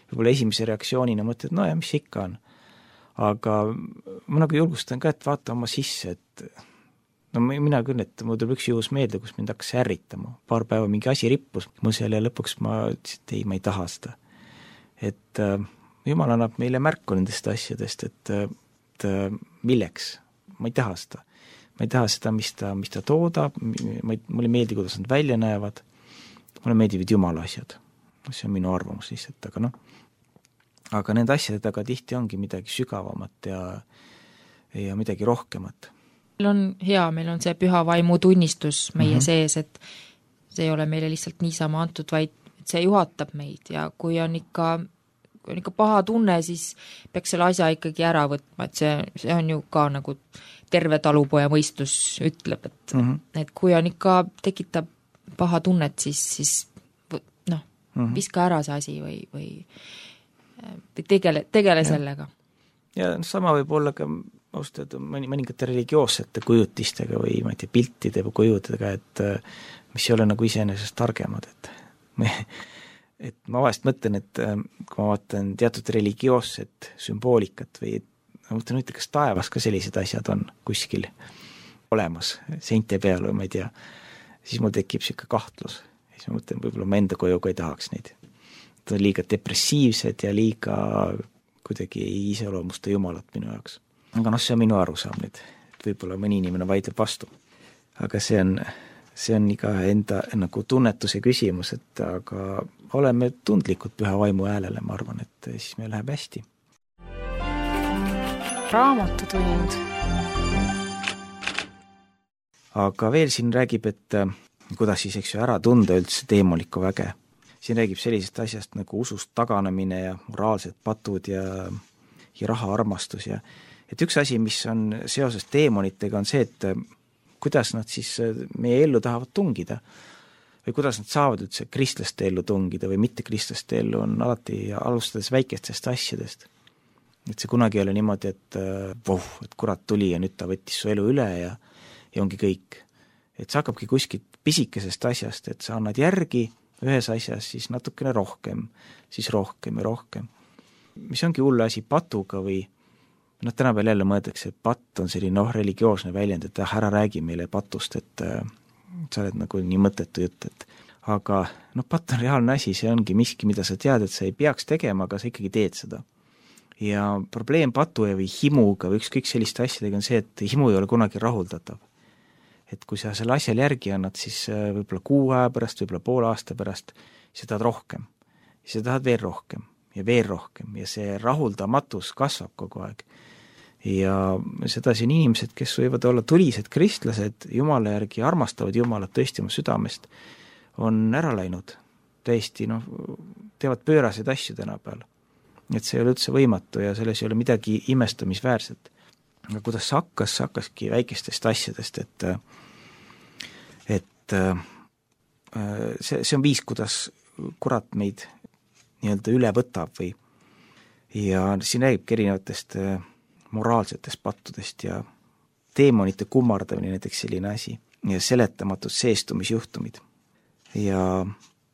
võib-olla esimese reaktsioonina mõtled, no ja mis ikka on. Aga ma nagu julgustan ka, et vaata oma sisse, et no mina küll, et mul tuleb üks juhus meelde, kus mind hakkas ärritama. Paar päeva mingi asi rippus mul seal ja lõpuks ma ütlesin, et ei, ma ei taha seda. Et Jumal annab meile märku nendest asjadest, et, et milleks, ma ei taha seda. Ma ei taha seda, mis ta, mis ta toodab, ma ei, mulle ei meeldi, kuidas nad välja näevad, mulle meeldivad Jumala asjad. See on minu arvamus lihtsalt, aga noh, aga nende asjadega tihti ongi midagi sügavamat ja, ja midagi rohkemat. Meil on hea, meil on see püha vaimu tunnistus meie mm-hmm. sees, et see ei ole meile lihtsalt niisama antud, vaid see juhatab meid ja kui on ikka kui on ikka paha tunne, siis peaks selle asja ikkagi ära võtma, et see, see on ju ka nagu terve talupoja mõistus ütleb, et, mm-hmm. et kui on ikka tekitab paha tunnet, siis, siis noh, mm-hmm. viska ära see asi või, või, või tegele, tegele ja. Sellega. Ja sama võib olla ka austada mõningate religioossete kujutistega või ma ei tea, piltide või kujudega, et mis ei ole nagu iseenesest targemad, et me et ma vahest mõtlen, et kui ma vaatan teatud religioosset sümboolikat või ma mõtlen, et kas taevas ka sellised asjad on kuskil olemas, seinte peal või ma ei tea, siis mul tekib siuke kahtlus. Siis ma mõtlen, võib-olla ma enda koju ka ei tahaks neid. Nad on liiga depressiivsed ja liiga kuidagi ei iseloomusta Jumalat minu jaoks. Aga noh, see on minu arusaam nüüd, et võib-olla mõni inimene vaidleb vastu. Aga see on see on iga enda nagu tunnetuse küsimus, et aga oleme tundlikud püha vaimu häälele, ma arvan, et siis meil läheb hästi. Raamatutund. Aga veel siin räägib, et kuidas siis eks ju ära tunda üldse teemolikku väge. siin räägib sellisest asjast nagu usust taganemine ja moraalsed patud ja, ja rahaarmastus ja et üks asi, mis on seoses teemonitega, on see, et kuidas nad siis meie ellu tahavad tungida või kuidas nad saavad üldse kristlaste ellu tungida või mitte kristlaste ellu, on alati alustades väikestest asjadest. Et see kunagi ei ole niimoodi, et voh, et kurat tuli ja nüüd ta võttis su elu üle ja, ja ongi kõik. Et see hakkabki kuskilt pisikesest asjast, et sa annad järgi ühes asjas, siis natukene rohkem, siis rohkem ja rohkem. Mis ongi hull asi patuga või noh, täna veel jälle mõeldakse, et patt on selline noh, religioosne väljend, et ära räägi meile patust, et äh, sa oled nagu nii mõttetu jutt, et aga noh, patt on reaalne asi, see ongi miski, mida sa tead, et sa ei peaks tegema, aga sa ikkagi teed seda. Ja probleem patu või himuga või ükskõik selliste asjadega on see, et himu ei ole kunagi rahuldatav. Et kui sa selle asjal järgi annad, siis võib-olla kuu aja pärast, võib-olla poole aasta pärast, sa tahad rohkem. Sa tahad veel rohkem ja veel rohkem ja see rahuldamatus kasvab kogu aeg. Ja sedasi on inimesed, kes võivad olla tulised kristlased, Jumala järgi armastavad Jumalat tõesti oma südamest, on ära läinud täiesti, noh, teevad pööraseid asju tänapäeval. Et see ei ole üldse võimatu ja selles ei ole midagi imestamisväärset. Aga kuidas see hakkas, see hakkaski väikestest asjadest, et et see, see on viis, kuidas kurat meid nii-öelda üle võtab või ja siin räägibki erinevatest moraalsetest pattudest ja teemonite kummardamine näiteks selline asi ja seletamatud seestumisjuhtumid. Ja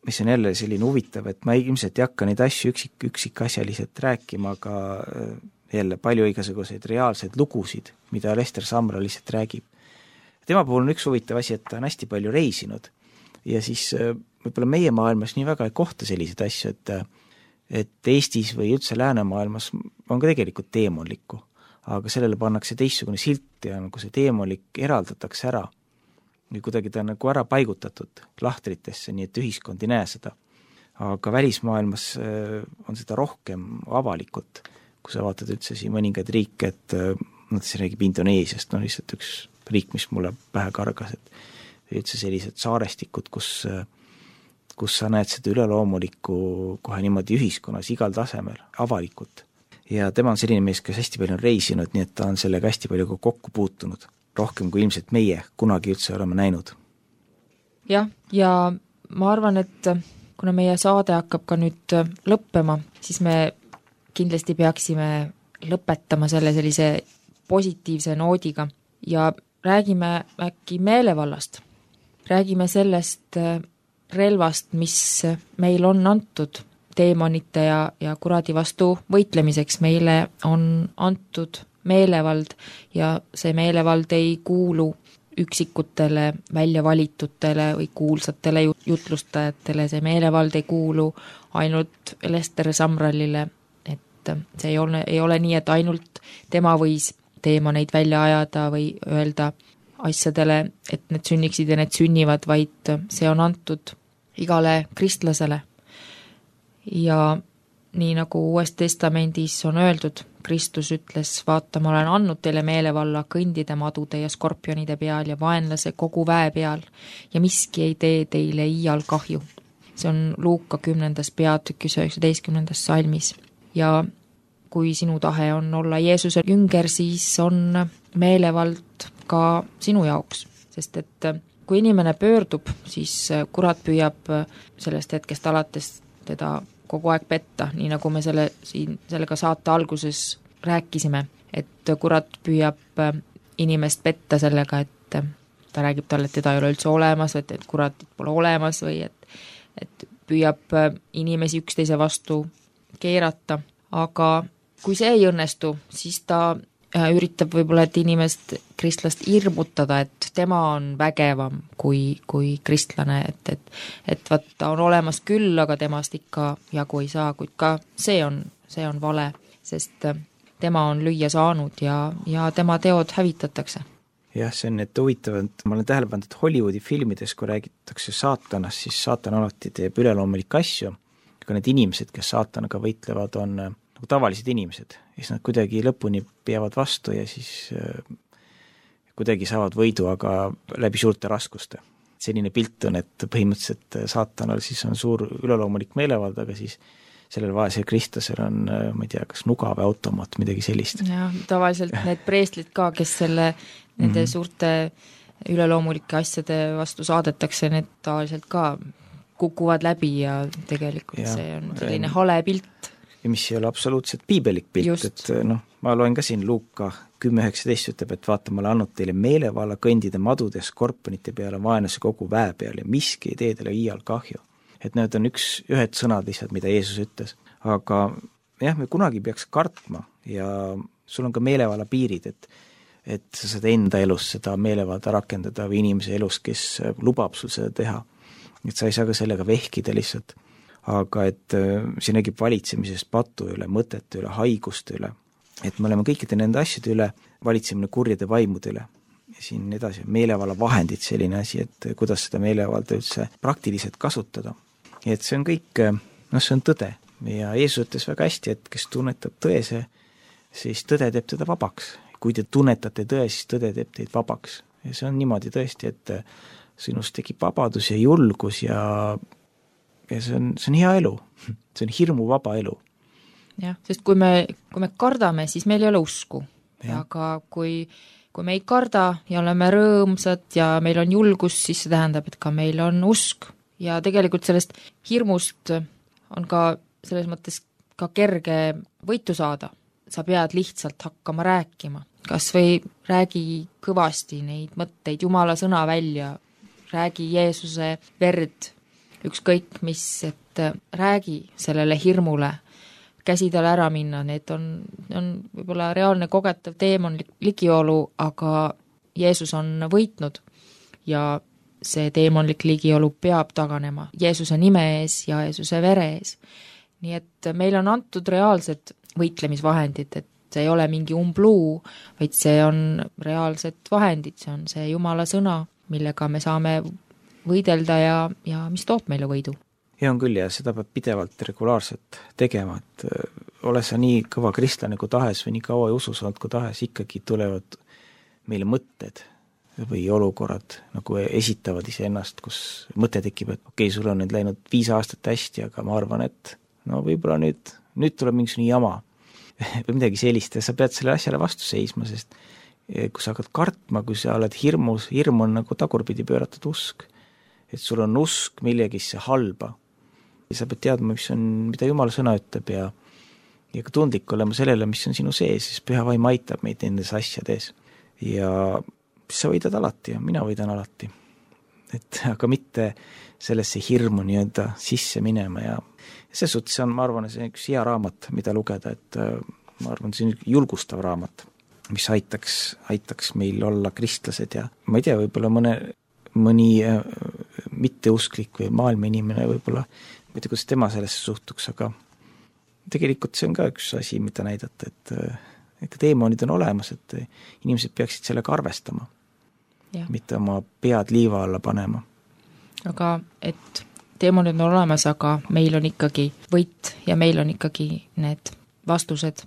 mis on jälle selline huvitav, et ma ilmselt ei hakka neid asju üksik, üksikasjaliselt rääkima, aga jälle palju igasuguseid reaalseid lugusid, mida Lester Samra lihtsalt räägib. Tema puhul on üks huvitav asi, et ta on hästi palju reisinud ja siis võib-olla meie maailmas nii väga ei kohta selliseid asju, et, et Eestis või üldse läänemaailmas on ka tegelikult teemonlikku, aga sellele pannakse teistsugune silt ja nagu see teemonlik eraldatakse ära või kuidagi ta on nagu ära paigutatud lahtritesse, nii et ühiskond ei näe seda. Aga välismaailmas on seda rohkem avalikult, kui sa vaatad üldse siin mõningaid riike, et nad siis räägib Indoneesiast, no lihtsalt üks riik, mis mulle pähe kargas, et üldse sellised saarestikud, kus, kus sa näed seda üleloomulikku kohe niimoodi ühiskonnas igal tasemel, avalikult. Ja tema on selline mees, kes hästi palju on reisinud, nii et ta on sellega hästi palju kokku puutunud, rohkem kui ilmselt meie kunagi üldse oleme näinud. Jah, ja ma arvan, et kuna meie saade hakkab ka nüüd lõppema, siis me kindlasti peaksime lõpetama selle sellise positiivse noodiga ja räägime äkki meelevallast. Räägime sellest relvast, mis meil on antud teemonite ja, ja kuradi vastu võitlemiseks. Meile on antud meelevald ja see meelevald ei kuulu üksikutele välja valitutele või kuulsatele jutlustajatele. See meelevald ei kuulu ainult Lester Samralile, et see ei ole, ei ole nii, et ainult tema võis teemoneid välja ajada või öelda asjadele, et need sünniksid ja need sünnivad, vaid see on antud igale kristlasele. Ja nii nagu Uues Testamendis on öeldud, Kristus ütles, vaata, ma olen andnud teile meelevalla kõndide madude ja skorpionide peal ja vaenlase kogu väe peal ja miski ei tee teile iial kahju. See on Luuka kümnendas peatükis üheksateistkümnendas salmis. Ja kui sinu tahe on olla Jeesuse jünger, siis on meelevald ka sinu jaoks, sest et kui inimene pöördub, siis kurat püüab sellest hetkest alates teda kogu aeg petta, nii nagu me selle, siin, sellega saate alguses rääkisime, et kurat püüab inimest petta sellega, et ta räägib talle, et teda ei ole üldse olemas, et, et kuratit pole olemas või et, et püüab inimesi üksteise vastu keerata, aga kui see ei õnnestu, siis ta üritab võib-olla, et inimest, kristlast hirmutada, et tema on vägevam kui, kui kristlane, et, et, et vaat ta on olemas küll, aga temast ikka jagu ei saa, kuid ka see on, see on vale, sest tema on lüüa saanud ja, ja tema teod hävitatakse. Jah, see on need huvitavad, ma olen tähele pannud, et Hollywoodi filmides, kui räägitakse saatanast, siis saatan alati teeb üleloomulikke asju, aga need inimesed, kes saatanaga võitlevad, on nagu tavalised inimesed, siis nad kuidagi lõpuni peavad vastu ja siis äh, kuidagi saavad võidu, aga läbi suurte raskuste. selline pilt on, et põhimõtteliselt saatanal siis on suur üleloomulik meelevald, aga siis sellel vaesel kristlasel on, ma ei tea, kas nuga või automaat, midagi sellist. jah, tavaliselt need preeslid ka, kes selle, nende mm-hmm. suurte üleloomulike asjade vastu saadetakse, need tavaliselt ka kukuvad läbi ja tegelikult ja, see on selline hale pilt. Ja mis ei ole absoluutselt piibelik pilt, just. Et noh, ma loen ka siin Luuka kümme üheksateist ütleb, et vaata, ma olen andnud teile meelevalla kõndide madude ja skorponite peale vaenlase kogu väe peal ja miski ei tee teile iial kahju. Et need on üks, ühed sõnad lihtsalt, mida Jeesus ütles. Aga jah, me kunagi peaks kartma ja sul on ka meelevalla piirid, et, et sa saad enda elus seda meelevalda rakendada või inimese elus, kes lubab sul seda teha. Et sa ei saa ka sellega vehkida lihtsalt. Aga et see nägib valitsemisest patu üle, mõtete üle, haiguste üle. Et me oleme kõikide nende asjade üle, valitsemine kurjade vaimude üle. Ja siin edasi, meelevalla vahendid selline asi, et kuidas seda meelevalda üldse praktiliselt kasutada. Ja et see on kõik, noh see on tõde. Ja Jeesus ütles väga hästi, et kes tunnetab tõese, siis tõde teeb teda vabaks. Kui te tunnetate tõe, siis tõde teeb teid vabaks. Ja see on niimoodi tõesti, et sinust tekib vabadus ja julgus ja, ja see on, see on hea elu. See on hirmu vaba elu. Jah, sest kui me, kui me kardame, siis meil ei ole usku. Aga kui, kui me ei karda ja oleme rõõmsad ja meil on julgus, siis see tähendab, et ka meil on usk. Ja tegelikult sellest hirmust on ka selles mõttes ka kerge võitu saada. Sa pead lihtsalt hakkama rääkima. Kas või räägi kõvasti neid mõtteid, Jumala sõna välja, räägi Jeesuse verd, ükskõik mis, et räägi sellele hirmule, käsi tal ära minna, need on, on võib-olla reaalne kogetav teemon ligiolu, aga Jeesus on võitnud ja see teemonlik ligiolu peab taganema Jeesuse nime ees ja Jeesuse vere ees. Nii et meil on antud reaalsed võitlemisvahendid, et see ei ole mingi umbluu, vaid see on reaalsed vahendid, see on see Jumala sõna, millega me saame võidelda ja, ja mis toob meile võidu. Ja on küll ja seda peab pidevalt regulaarselt tegema, et ole sa nii kõva kristlane kui tahes või nii kaua usus olnud kui tahes, ikkagi tulevad meile mõtted või olukorrad nagu esitavad ise ennast, kus mõte tekib, et okei, okay, sul on nüüd läinud viis aastat hästi, aga ma arvan, et no võib-olla nüüd, nüüd tuleb mingisugune jama või midagi sellist ja sa pead selle asjale vastu seisma, sest kui sa hakkad kartma, kui sa oled hirmus, hirm on nagu tagurpidi pööratud usk, et sul on usk millegisse halba. Ja sa pead teadma, mis on, mida Jumala sõna ütleb ja, ja ka tundlik olema sellele, mis on sinu sees, siis püha vaim aitab meid nendes asjades. Ja sa võidad alati ja mina võidan alati. Et, aga mitte sellesse hirmu nii-öelda sisse minema ja see suhtes on, ma arvan, see on üks hea raamat, mida lugeda, et ma arvan, see on julgustav raamat, mis aitaks, aitaks meil olla kristlased ja ma ei tea, võib-olla mõne, mõni mitteusklik või maailma inimene võib-olla ma ei tea, kuidas tema sellesse suhtuks, aga tegelikult see on ka üks asi, mida näidata, et, et teemonid on olemas, et inimesed peaksid sellega arvestama, ja. Mitte oma pead liiva alla panema. Aga et teemonid on olemas, aga meil on ikkagi võit ja meil on ikkagi need vastused.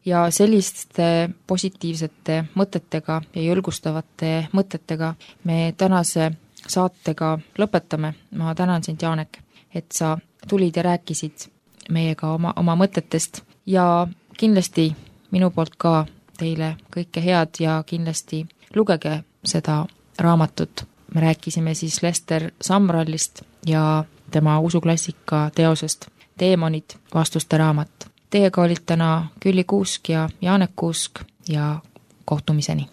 Ja selliste positiivsete mõtetega ja julgustavate mõtetega me tänase saatega lõpetame. Ma tänan sind, Jaanek, et sa tulid ja rääkisid meiega oma, oma mõtetest ja kindlasti minu poolt ka teile kõike head ja kindlasti lugege seda raamatut. Me rääkisime siis Lester Sumrallist ja tema usuklassika teosest Teemonid, vastuste raamat. Teiega olid täna Külli Kuusk ja Jaanek Kuusk ja kohtumiseni.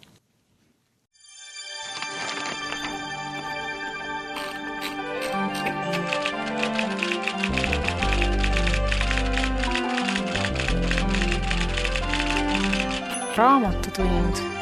Raamatutund